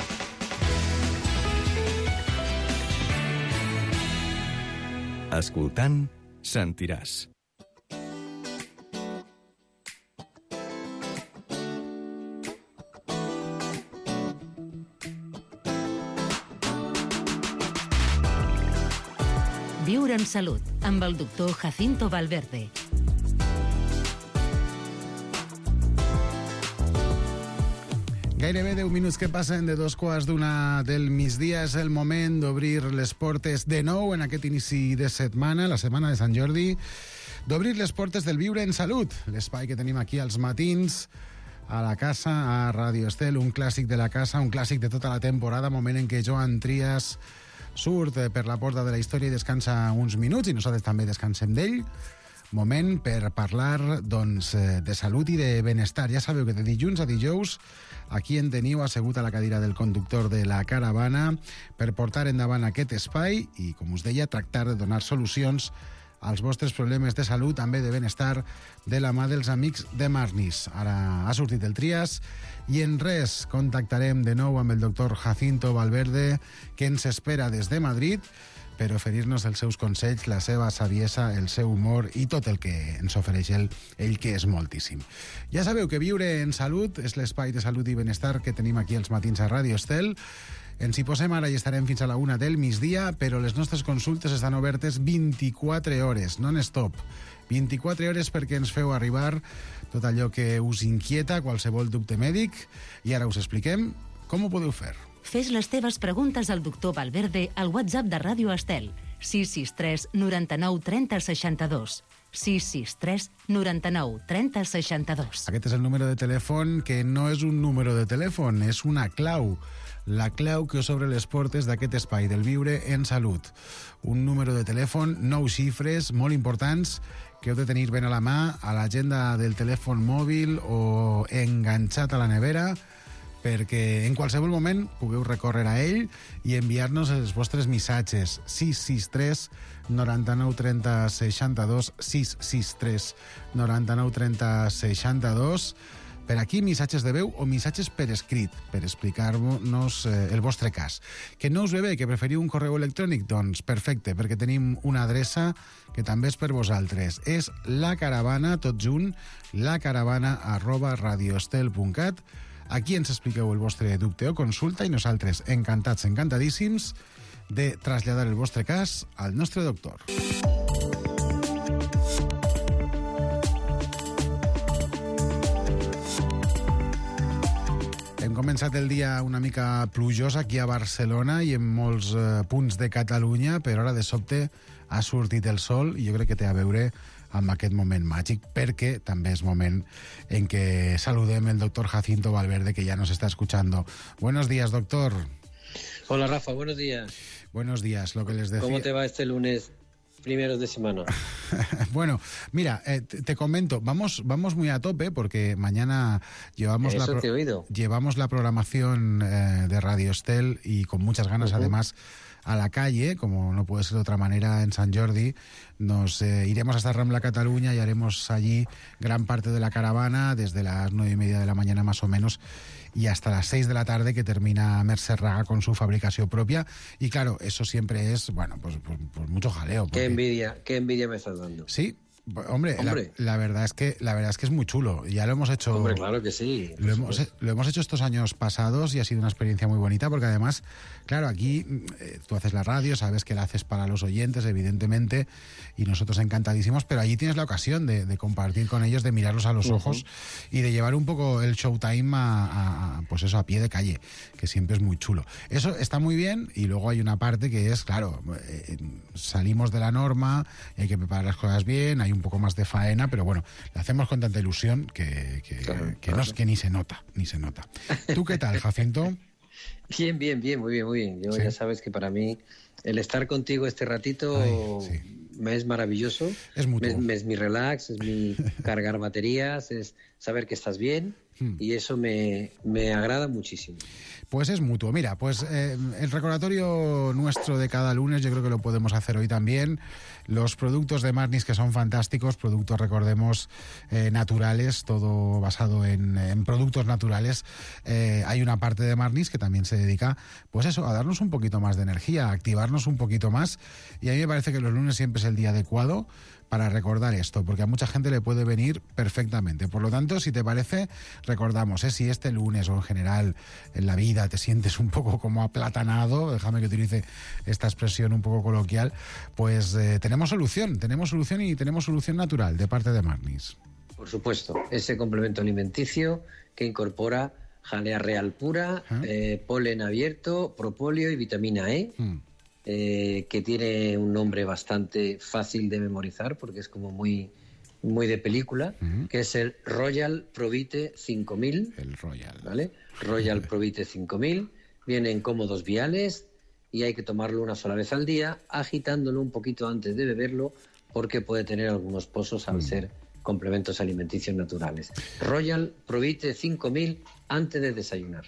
Escoltant, sentiràs. Viure en salut, amb el doctor Jacinto Valverde. Gairebé deu minuts que passen de dos quarts d'una del migdia. És el moment d'obrir les portes de nou en aquest inici de setmana, la setmana de Sant Jordi, d'obrir les portes del Viure en Salut, l'espai que tenim aquí als matins, a la casa, a Ràdio Estel, un clàssic de la casa, un clàssic de tota la temporada, moment en què Joan Trias surt per la porta de la història i descansa uns minuts, i nosaltres també descansem d'ell. Moment per parlar, doncs, de salut i de benestar. Ja sabeu que de dilluns a dijous aquí en teniu assegut a la cadira del conductor de la caravana per portar endavant aquest espai i, com us deia, tractar de donar solucions als vostres problemes de salut, també de benestar, de la mà dels amics de Marnis. Ara ha sortit el Trias i en res contactarem de nou amb el doctor Jacinto Valverde, que ens espera des de Madrid, per oferir-nos els seus consells, la seva saviesa, el seu humor i tot el que ens ofereix ell, ell que és moltíssim. Ja sabeu que Viure en Salut és l'espai de salut i benestar que tenim aquí els matins a Ràdio Estel. Ens hi posem ara i estarem fins a la una del migdia, però les nostres consultes estan obertes vint-i-quatre hores, non-stop. vint-i-quatre hores perquè ens feu arribar tot allò que us inquieta, qualsevol dubte mèdic, i ara us expliquem com ho podeu fer. Fes les teves preguntes al doctor Valverde al WhatsApp de Ràdio Estel, sis sis tres noranta-nou trenta seixanta-dos. sis sis tres noranta-nou trenta seixanta-dos. Aquest és el número de telèfon que no és un número de telèfon, és una clau. La clau que us obre les portes d'aquest espai del Viure en Salut. Un número de telèfon, nou xifres, molt importants, que heu de tenir ben a la mà, a l'agenda del telèfon mòbil o enganxat a la nevera, perquè en qualsevol moment pugueu recórrer a ell i enviar-nos els vostres missatges. sis sis tres noranta-nou trenta seixanta-dos, sis sis tres noranta-nou trenta seixanta-dos. Per aquí, missatges de veu o missatges per escrit, per explicar-nos eh, el vostre cas. Que no us ve bé, que preferiu un correu electrònic? Doncs perfecte, perquè tenim una adreça que també és per vosaltres. És la caravana, tot junt, lacaravana arroba radioestel punt cat. Aquí ens expliqueu el vostre dubte o consulta i nosaltres, encantats, encantadíssims, de traslladar el vostre cas al nostre doctor. Hem començat el dia una mica plujós aquí a Barcelona i en molts eh, punts de Catalunya, però ara de sobte ha sortit el sol i jo crec que té a veure amb aquest moment màgic, perquè també és moment en què saludem el doctor Jacinto Valverde, que ya nos está escuchando. Buenos días, doctor. Hola, Rafa, buenos días. Buenos días, lo que les decía. ¿Cómo te va este lunes primeros de semana? Bueno, mira, eh, te, te comento, vamos, vamos muy a tope porque mañana llevamos, Eso la, te he oído. llevamos la programación eh, de Radio Estel y con muchas ganas, uh-huh. además, a la calle, como no puede ser de otra manera, en Sant Jordi. Nos eh, iremos hasta Rambla Cataluña y haremos allí gran parte de la caravana, desde las nueve y media de la mañana más o menos, y hasta las seis de la tarde, que termina Mercè Raga con su fabricación propia. Y claro, eso siempre es, bueno, pues, pues, pues mucho jaleo. Porque... Qué envidia, qué envidia me estás dando. Sí. Hombre, Hombre. La, la verdad es que la verdad es que es muy chulo. Ya lo hemos hecho. Hombre, claro que sí. Lo hemos, lo hemos hecho estos años pasados y ha sido una experiencia muy bonita, porque además, claro, aquí eh, tú haces la radio, sabes que la haces para los oyentes, evidentemente, y nosotros encantadísimos, pero allí tienes la ocasión de, de compartir con ellos, de mirarlos a los uh-huh. ojos y de llevar un poco el showtime a, a, a, pues eso, a pie de calle, que siempre es muy chulo. Eso está muy bien, y luego hay una parte que es, claro, eh, salimos de la norma, hay que preparar las cosas bien, hay un poco más de faena, pero bueno, lo hacemos con tanta ilusión que, que, claro, que, claro. No, que ni se nota, ni se nota. ¿Tú qué tal, Jacinto? Bien, bien, bien, muy bien, muy bien. Yo ¿Sí? ya sabes que para mí el estar contigo este ratito Ay, sí. me es maravilloso. Es mutuo. Me, es mi relax, es mi cargar baterías, es saber que estás bien hmm. y eso me, me agrada muchísimo. Pues es mutuo. Mira, pues eh, el recordatorio nuestro de cada lunes yo creo que lo podemos hacer hoy también. Los productos de Marnis, que son fantásticos, productos, recordemos, eh, naturales, todo basado en, en productos naturales. Eh, hay una parte de Marnis que también se dedica, pues eso, a darnos un poquito más de energía, a activarnos un poquito más. Y a mí me parece que los lunes siempre es el día adecuado para recordar esto, porque a mucha gente le puede venir perfectamente. Por lo tanto, si te parece, recordamos, ¿eh? Si este lunes o en general en la vida te sientes un poco como aplatanado, déjame que utilice esta expresión un poco coloquial, pues eh, tenemos solución, tenemos solución y tenemos solución natural de parte de Marnis. Por supuesto, ese complemento alimenticio que incorpora jalea real pura, ¿Ah? eh, polen abierto, propóleo y vitamina E, hmm. Eh, que tiene un nombre bastante fácil de memorizar porque es como muy, muy de película, uh-huh. que es el Royal Provite cinco mil. El Royal. ¿Vale? Royal Provite cinco mil. Viene en cómodos viales y hay que tomarlo una sola vez al día, agitándolo un poquito antes de beberlo porque puede tener algunos pozos al uh-huh. ser complementos alimenticios naturales. Royal Provite cinco mil antes de desayunar.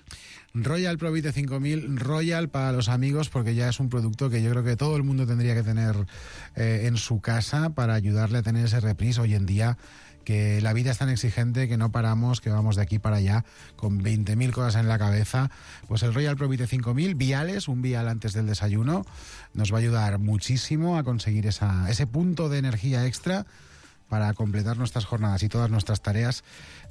Royal Provite cinco mil, Royal para los amigos, porque ya es un producto que yo creo que todo el mundo tendría que tener eh, en su casa para ayudarle a tener ese reprise hoy en día, que la vida es tan exigente que no paramos, que vamos de aquí para allá con veinte mil cosas en la cabeza. Pues el Royal Provite cinco mil, viales, un vial antes del desayuno, nos va a ayudar muchísimo a conseguir esa, ese punto de energía extra para completar nuestras jornadas y todas nuestras tareas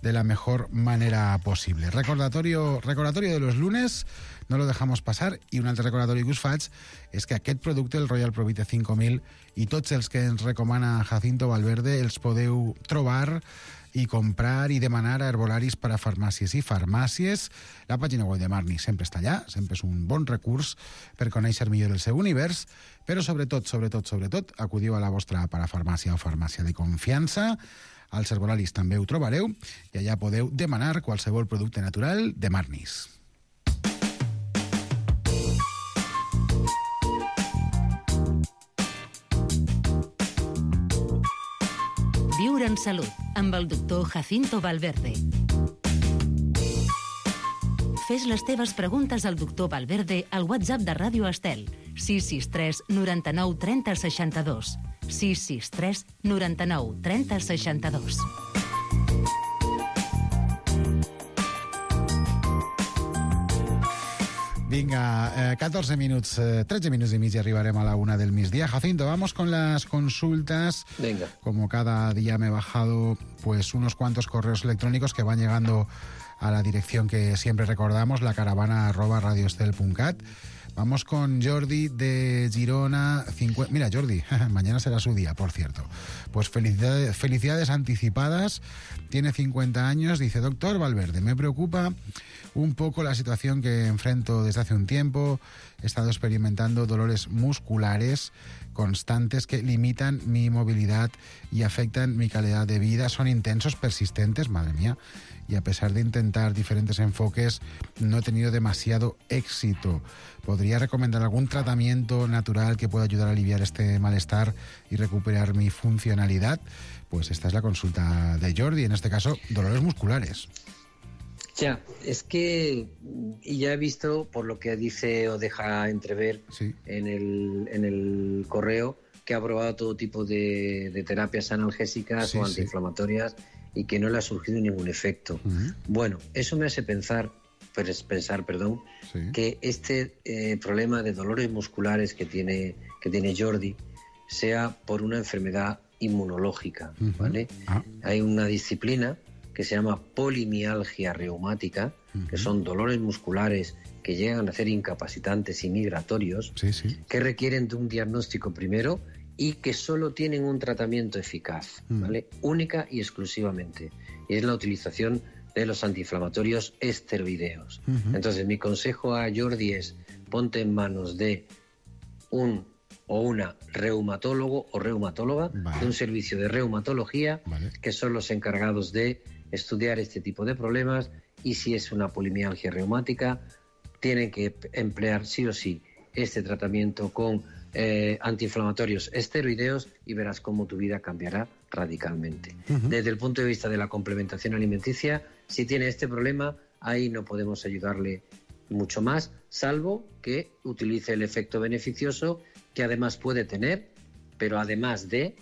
de la mejor manera posible. Recordatorio, recordatorio de los lunes, no lo dejamos passar, i un altre recordatori que us faig és que aquest producte, el Royal Provite cinc mil, i tots els que ens recomana Jacinto Valverde els podeu trobar i comprar i demanar a herbolaris per a farmàcies i farmàcies. La pàgina web de Marni sempre està allà, sempre és un bon recurs per conèixer millor el seu univers, però sobretot, sobretot, sobretot, acudiu a la vostra parafarmàcia o farmàcia de confiança. Als herbolaris també ho trobareu i allà podeu demanar qualsevol producte natural de Marnis. Viure en salut, amb el doctor Jacinto Valverde. Fes les teves preguntes al doctor Valverde al WhatsApp de Ràdio Estel, sis sis tres noranta-nou trenta seixanta-dos. sis sis tres noranta-nou trenta seixanta-dos. Venga, eh, catorce minutos, eh, trece minutos y medio y arribaremos a la una del misdía. Jacinto, vamos con las consultas. Venga. Como cada día me he bajado pues unos cuantos correos electrónicos que van llegando a la dirección que siempre recordamos, la caravana arroba radioestel punto cat. Vamos con Jordi de Girona. cincuenta... Mira, Jordi, mañana será su día, por cierto. Pues felicidades, felicidades anticipadas. Tiene cincuenta años. Dice, doctor Valverde, me preocupa un poco la situación que enfrento desde hace un tiempo. He estado experimentando dolores musculares constantes que limitan mi movilidad y afectan mi calidad de vida. Son intensos, persistentes, madre mía. Y a pesar de intentar diferentes enfoques, no he tenido demasiado éxito. ¿Podría recomendar algún tratamiento natural que pueda ayudar a aliviar este malestar y recuperar mi funcionalidad? Pues esta es la consulta de Jordi, en este caso, dolores musculares. Ya, es que y ya he visto, por lo que dice o deja entrever sí. en, el, en el correo, que ha probado todo tipo de, de terapias analgésicas sí, o antiinflamatorias sí. y que no le ha surgido ningún efecto. Uh-huh. Bueno, eso me hace pensar, pues pensar, perdón, sí. que este eh, problema de dolores musculares que tiene, que tiene Jordi sea por una enfermedad inmunológica, uh-huh. ¿vale? Ah. Hay una disciplina que se llama polimialgia reumática, uh-huh. que son dolores musculares que llegan a ser incapacitantes y migratorios, sí, sí. que requieren de un diagnóstico primero y que solo tienen un tratamiento eficaz, uh-huh. ¿vale? Única y exclusivamente. Y es la utilización de los antiinflamatorios esteroideos. Uh-huh. Entonces, mi consejo a Jordi es, ponte en manos de un o una reumatólogo o reumatóloga, vale. de un servicio de reumatología, vale. que son los encargados de estudiar este tipo de problemas, y si es una polimialgia reumática, tienen que emplear sí o sí este tratamiento con eh, antiinflamatorios esteroideos y verás cómo tu vida cambiará radicalmente. Uh-huh. Desde el punto de vista de la complementación alimenticia, si tiene este problema, ahí no podemos ayudarle mucho más, salvo que utilice el efecto beneficioso que además puede tener, pero además de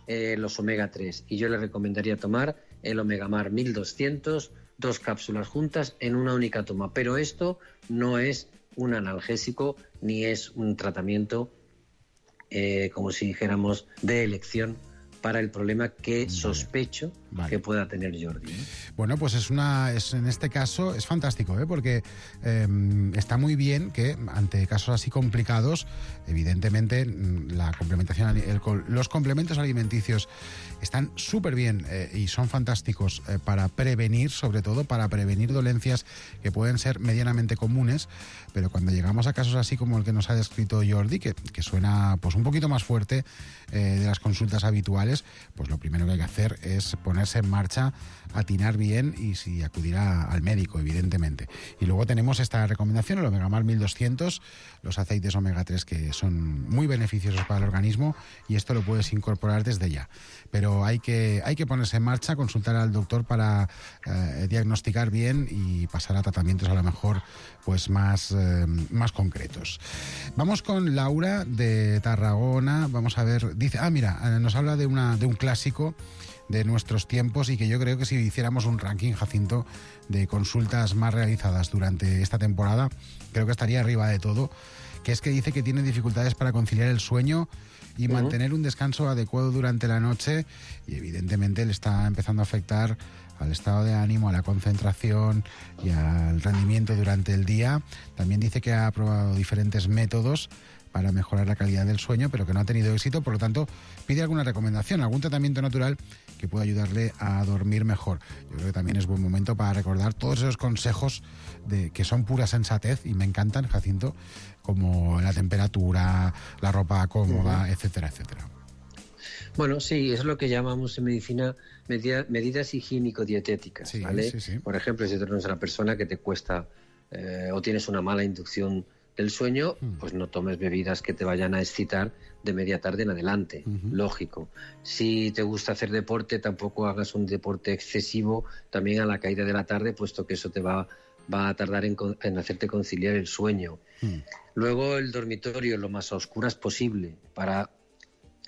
eh, los omega tres. Y yo le recomendaría tomar el Omegamar mil doscientos, dos cápsulas juntas en una única toma. Pero esto no es un analgésico ni es un tratamiento, eh, como si dijéramos, de elección para el problema que sospecho vale. que pueda tener Jordi, ¿eh? Bueno, pues es una, es, en este caso es fantástico, ¿eh? porque eh, está muy bien que ante casos así complicados, evidentemente la complementación, el, los complementos alimenticios están súper bien eh, y son fantásticos eh, para prevenir, sobre todo para prevenir dolencias que pueden ser medianamente comunes, pero cuando llegamos a casos así como el que nos ha descrito Jordi, que, que suena pues un poquito más fuerte eh, de las consultas habituales, pues lo primero que hay que hacer es ponerse en marcha, atinar bien y si acudir a, al médico, evidentemente. Y luego tenemos esta recomendación, el Omegamar mil doscientos, los aceites omega tres que son muy beneficiosos para el organismo, y esto lo puedes incorporar desde ya. Pero hay que, hay que ponerse en marcha, consultar al doctor para eh, diagnosticar bien y pasar a tratamientos a lo mejor pues más, eh, más concretos. Vamos con Laura de Tarragona. Vamos a ver, dice, ah mira, nos habla de, una, de un clásico de nuestros tiempos y que yo creo que si hiciéramos un ranking, Jacinto, de consultas más realizadas durante esta temporada, creo que estaría arriba de todo, que es que dice que tiene dificultades para conciliar el sueño y uh-huh. mantener un descanso adecuado durante la noche, y evidentemente le está empezando a afectar al estado de ánimo, a la concentración y al rendimiento durante el día. También dice que ha probado diferentes métodos para mejorar la calidad del sueño, pero que no ha tenido éxito, por lo tanto pide alguna recomendación, algún tratamiento natural que pueda ayudarle a dormir mejor. Yo creo que también es buen momento para recordar todos esos consejos de, que son pura sensatez y me encantan, Jacinto, como la temperatura, la ropa cómoda, uh-huh. etcétera, etcétera. Bueno, sí, es lo que llamamos en medicina medida, medidas higiénico-dietéticas, sí, ¿vale? Sí, sí. Por ejemplo, si tú eres una persona que te cuesta eh, o tienes una mala inducción del sueño, mm. pues no tomes bebidas que te vayan a excitar de media tarde en adelante, uh-huh. lógico. Si te gusta hacer deporte, tampoco hagas un deporte excesivo también a la caída de la tarde, puesto que eso te va, va a tardar en, en hacerte conciliar el sueño. Mm. Luego el dormitorio lo más a oscuras posible para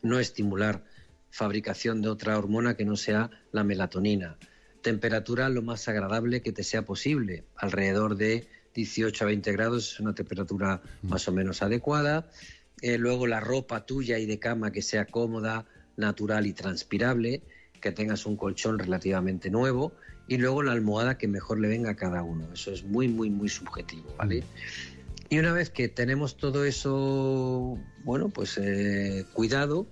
no estimular fabricación de otra hormona que no sea la melatonina. Temperatura lo más agradable que te sea posible, alrededor de dieciocho a veinte grados, es una temperatura más o menos adecuada. Eh, luego la ropa tuya y de cama que sea cómoda, natural y transpirable, que tengas un colchón relativamente nuevo, y luego la almohada que mejor le venga a cada uno. Eso es muy, muy, muy subjetivo, ¿vale? Y una vez que tenemos todo eso, bueno, pues eh, cuidado,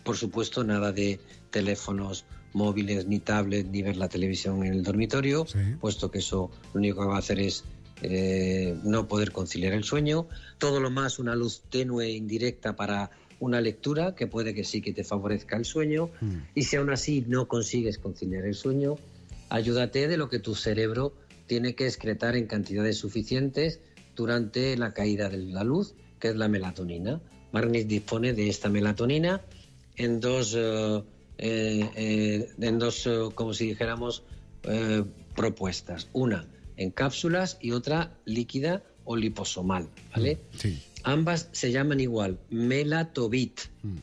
por supuesto nada de teléfonos móviles, ni tablet, ni ver la televisión en el dormitorio, sí. puesto que eso lo único que va a hacer es eh, no poder conciliar el sueño. Todo lo más una luz tenue, indirecta para una lectura, que puede que sí que te favorezca el sueño. Mm. Y si aún así no consigues conciliar el sueño, ayúdate de lo que tu cerebro tiene que excretar en cantidades suficientes durante la caída de la luz, que es la melatonina. Marnis dispone de esta melatonina en dos... Uh, Eh, eh, en dos, eh, como si dijéramos, eh, propuestas. Una en cápsulas y otra líquida o liposomal, ¿vale? Sí. Ambas se llaman igual, Melatovit. Mm.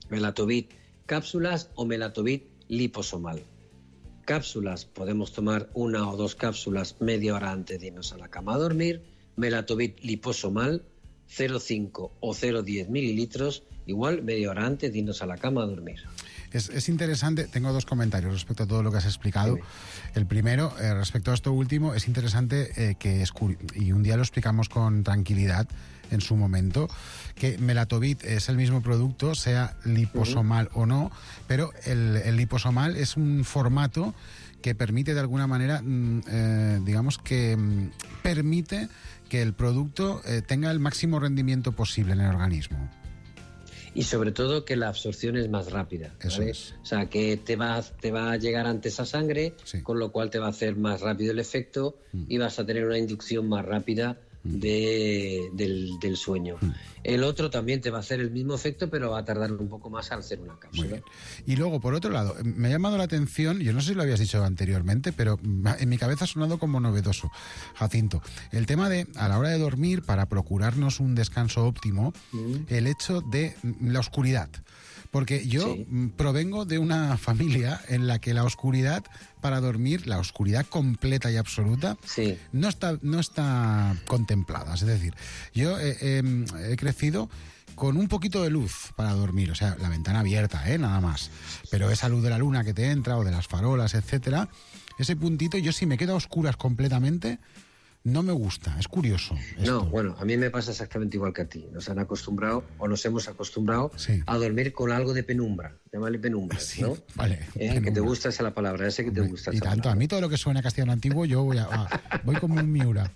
Melatovit cápsulas o Melatovit liposomal. Cápsulas, podemos tomar una o dos cápsulas media hora antes de irnos a la cama a dormir. Melatovit liposomal, cero coma cinco o cero coma diez mililitros, igual media hora antes de irnos a la cama a dormir. Es, es interesante, tengo dos comentarios respecto a todo lo que has explicado. Sí. El primero, eh, respecto a esto último, es interesante eh, que es y un día lo explicamos con tranquilidad en su momento, que Melatovit es el mismo producto, sea liposomal uh-huh. o no, pero el, el liposomal es un formato que permite de alguna manera, eh, digamos que mm, permite que el producto eh, tenga el máximo rendimiento posible en el organismo. Y sobre todo que la absorción es más rápida, ¿vale? Es. O sea, que te va, te va a llegar antes a sangre, sí. con lo cual te va a hacer más rápido el efecto mm. y vas a tener una inducción más rápida mm. de, del, del sueño. Mm. El otro también te va a hacer el mismo efecto, pero va a tardar un poco más al hacer una cápsula. Y luego, por otro lado, me ha llamado la atención, yo no sé si lo habías dicho anteriormente, pero en mi cabeza ha sonado como novedoso, Jacinto, el tema de, a la hora de dormir, para procurarnos un descanso óptimo, mm. el hecho de la oscuridad. Porque yo sí. provengo de una familia en la que la oscuridad para dormir, la oscuridad completa y absoluta, sí. no está no está contemplada. Es decir, yo eh, eh, he crecido con un poquito de luz para dormir, o sea, la ventana abierta, ¿eh? Nada más. Pero esa luz de la luna que te entra o de las farolas, etcétera, ese puntito, yo si me quedo a oscuras completamente, no me gusta, es curioso. Esto. No, bueno, a mí me pasa exactamente igual que a ti. Nos han acostumbrado, o nos hemos acostumbrado, sí. a dormir con algo de penumbra. Llámale penumbra, sí, ¿no? Vale. Eh, penumbra. Que te gusta esa la palabra, ese que te gusta esa Y tanto, palabra. A mí todo lo que suena castellano antiguo, yo voy a, a voy como un Miura.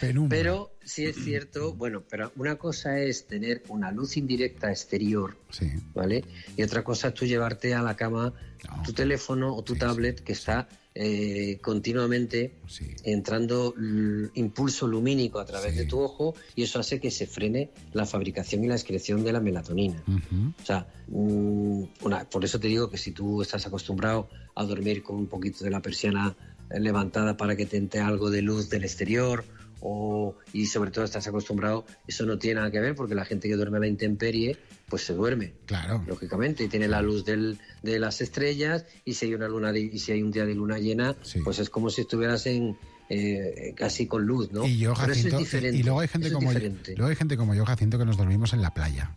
Penumbra. Pero sí es cierto, bueno, pero una cosa es tener una luz indirecta exterior, sí. ¿vale? Y otra cosa es tú llevarte a la cama no. tu teléfono o tu sí, tablet sí, que sí. está... Eh, continuamente sí. entrando l- impulso lumínico a través sí. de tu ojo, y eso hace que se frene la fabricación y la excreción de la melatonina. Uh-huh. O sea, mmm, una, por eso te digo que si tú estás acostumbrado a dormir con un poquito de la persiana levantada para que te entre algo de luz del exterior, o, y sobre todo estás acostumbrado, eso no tiene nada que ver, porque la gente que duerme a la intemperie, pues se duerme. Claro. Lógicamente, y tiene la luz del, de las estrellas, y si hay una luna de, y si hay un día de luna llena, sí. pues es como si estuvieras en eh, casi con luz, ¿no? Y yo, Jacinto, Pero eso es diferente. Y luego hay gente como yo, luego hay gente como yo, Jacinto, que nos dormimos en la playa.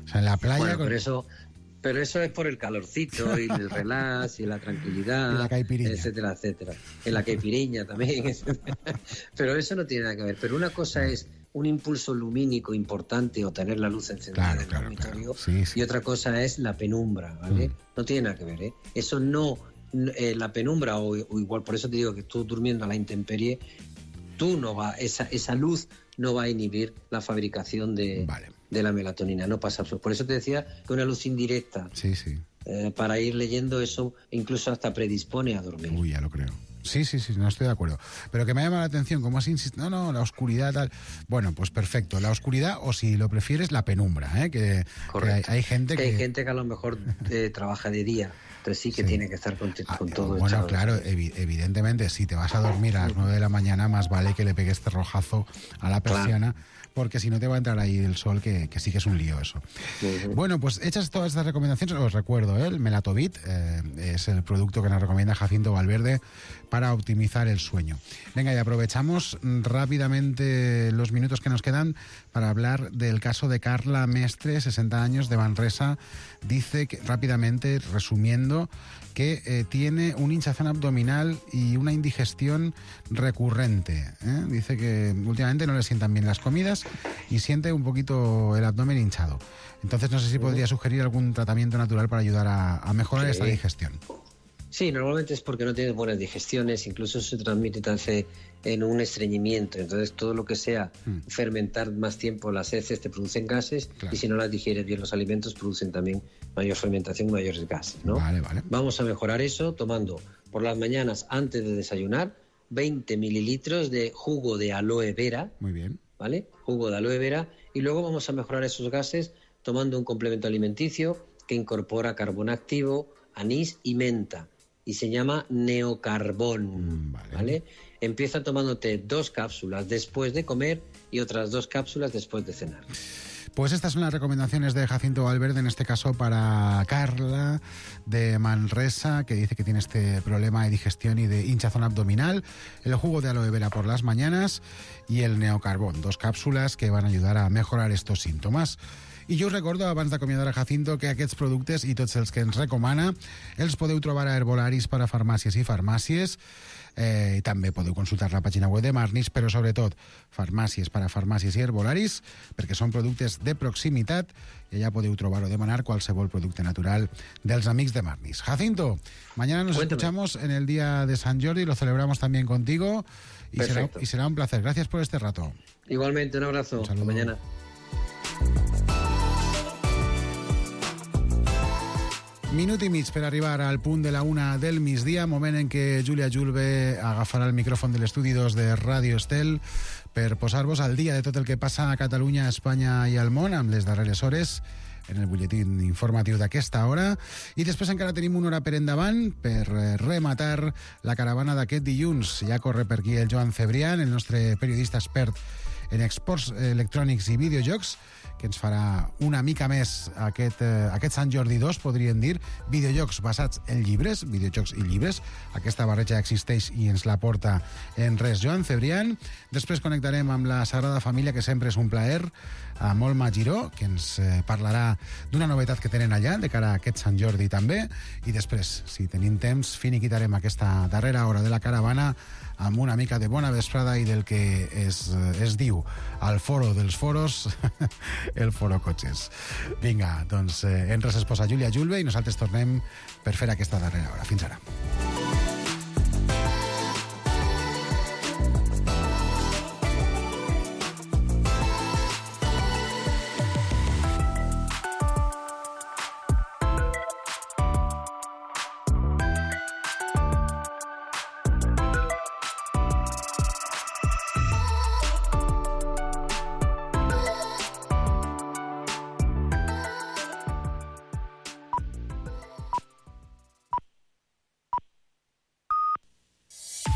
O sea, en la playa. Bueno, con... pero eso. Pero eso es por el calorcito y el relax y la tranquilidad, y la caipiriña, etcétera, etcétera. En la caipiriña también. Pero eso no tiene nada que ver. Pero una cosa es un impulso lumínico importante o tener la luz encendida claro, en el claro, dormitorio, claro. Sí, sí. Y otra cosa es la penumbra, ¿vale? Mm. No tiene nada que ver, ¿eh? Eso no, eh, la penumbra o, o igual, por eso te digo que tú durmiendo a la intemperie, tú no va, esa, esa luz no va a inhibir la fabricación de... Vale. de la melatonina, no pasa. Por eso te decía que una luz indirecta, sí, sí. Eh, para ir leyendo eso, incluso hasta predispone a dormir. Uy, ya lo creo. Sí, sí, sí, no estoy de acuerdo. Pero que me ha llamado la atención, como has insistido, no, no, la oscuridad, tal. Bueno, pues perfecto, la oscuridad, o si lo prefieres, la penumbra, ¿eh? Que, que hay, hay gente que... Hay gente que a lo mejor eh, trabaja de día, entonces sí que sí. tiene que estar con, con ah, todo. Bueno, claro, evi- evidentemente, si te vas a dormir a las nueve de la mañana, más vale que le pegues este rojazo a la persiana, claro. Porque si no te va a entrar ahí el sol, que, que sí que es un lío eso. Uh-huh. Bueno, pues hechas todas estas recomendaciones, os recuerdo, ¿eh? El Melatovit eh, es el producto que nos recomienda Jacinto Valverde para optimizar el sueño. Venga, y aprovechamos rápidamente los minutos que nos quedan para hablar del caso de Carla Mestre, sesenta años, de Manresa. Dice que, rápidamente, resumiendo, que eh, tiene un hinchazón abdominal y una indigestión recurrente. ¿eh? Dice que últimamente no le sientan bien las comidas y siente un poquito el abdomen hinchado. Entonces no sé si podría sugerir algún tratamiento natural para ayudar a, a mejorar sí. esta digestión. Sí, normalmente es porque no tienes buenas digestiones, incluso se transmite en un estreñimiento. Entonces todo lo que sea mm. fermentar más tiempo las heces te producen gases, claro. Y si no las digieres bien los alimentos producen también mayor fermentación y mayores gases, ¿no? Vale, vale. Vamos a mejorar eso tomando por las mañanas antes de desayunar veinte mililitros de jugo de aloe vera. Muy bien. ¿Vale? Jugo de aloe vera. Y luego vamos a mejorar esos gases tomando un complemento alimenticio que incorpora carbón activo, anís y menta. Y se llama Neocarbón, mm, vale. ¿vale? Empieza tomándote dos cápsulas después de comer y otras dos cápsulas después de cenar. Pues estas son las recomendaciones de Jacinto Valverde, en este caso para Carla de Manresa, que dice que tiene este problema de digestión y de hinchazón abdominal. El jugo de aloe vera por las mañanas y el Neocarbón, dos cápsulas que van a ayudar a mejorar estos síntomas. I jo us recordo, abans d'acomiadar a Jacinto, que aquests productes i tots els que ens recomana els podeu trobar a Herbolaris per a farmàcies i farmàcies. Eh, i també podeu consultar la pàgina web de Marnis, però sobretot farmàcies per a farmàcies i Herbolaris, perquè són productes de proximitat i allà podeu trobar o demanar qualsevol producte natural dels amics de Marnis. Jacinto, mañana nos Cuéntame. escuchamos en el día de San Jordi, lo celebramos también contigo y será, y será un placer. Gracias por este rato. Igualmente, un abrazo. Un saludo. Hasta mañana. Minut i mig per arribar al punt de la una del migdia, moment en què Júlia Julve agafarà el micròfon de l'estudi dos de Ràdio Estel per posar-vos al dia de tot el que passa a Catalunya, a Espanya i al món amb les darreres hores en el butlletín informatiu d'aquesta hora. I després encara tenim una hora per endavant per rematar la caravana d'aquest dilluns. Ja corre per aquí el Joan Cebrián, el nostre periodista expert en exports electrònics i videojocs, que ens farà una mica més aquest, eh, aquest Sant Jordi dos, podríem dir, videojocs basats en llibres, videojocs i llibres. Aquesta barreja existeix i ens la porta en res Joan Cebrián. Després connectarem amb la Sagrada Família, que sempre és un plaer, a Molma Giró, que ens eh, parlarà d'una novetat que tenen allà, de cara a aquest Sant Jordi també. I després, si tenim temps, finiquitarem aquesta darrera hora de la caravana amb una mica de bona vesprada i del que es, es diu al foro dels foros, el foro cotxes. Vinga, doncs eh, en res es posa Júlia Julve i nosaltres tornem per fer aquesta darrera hora. Fins ara.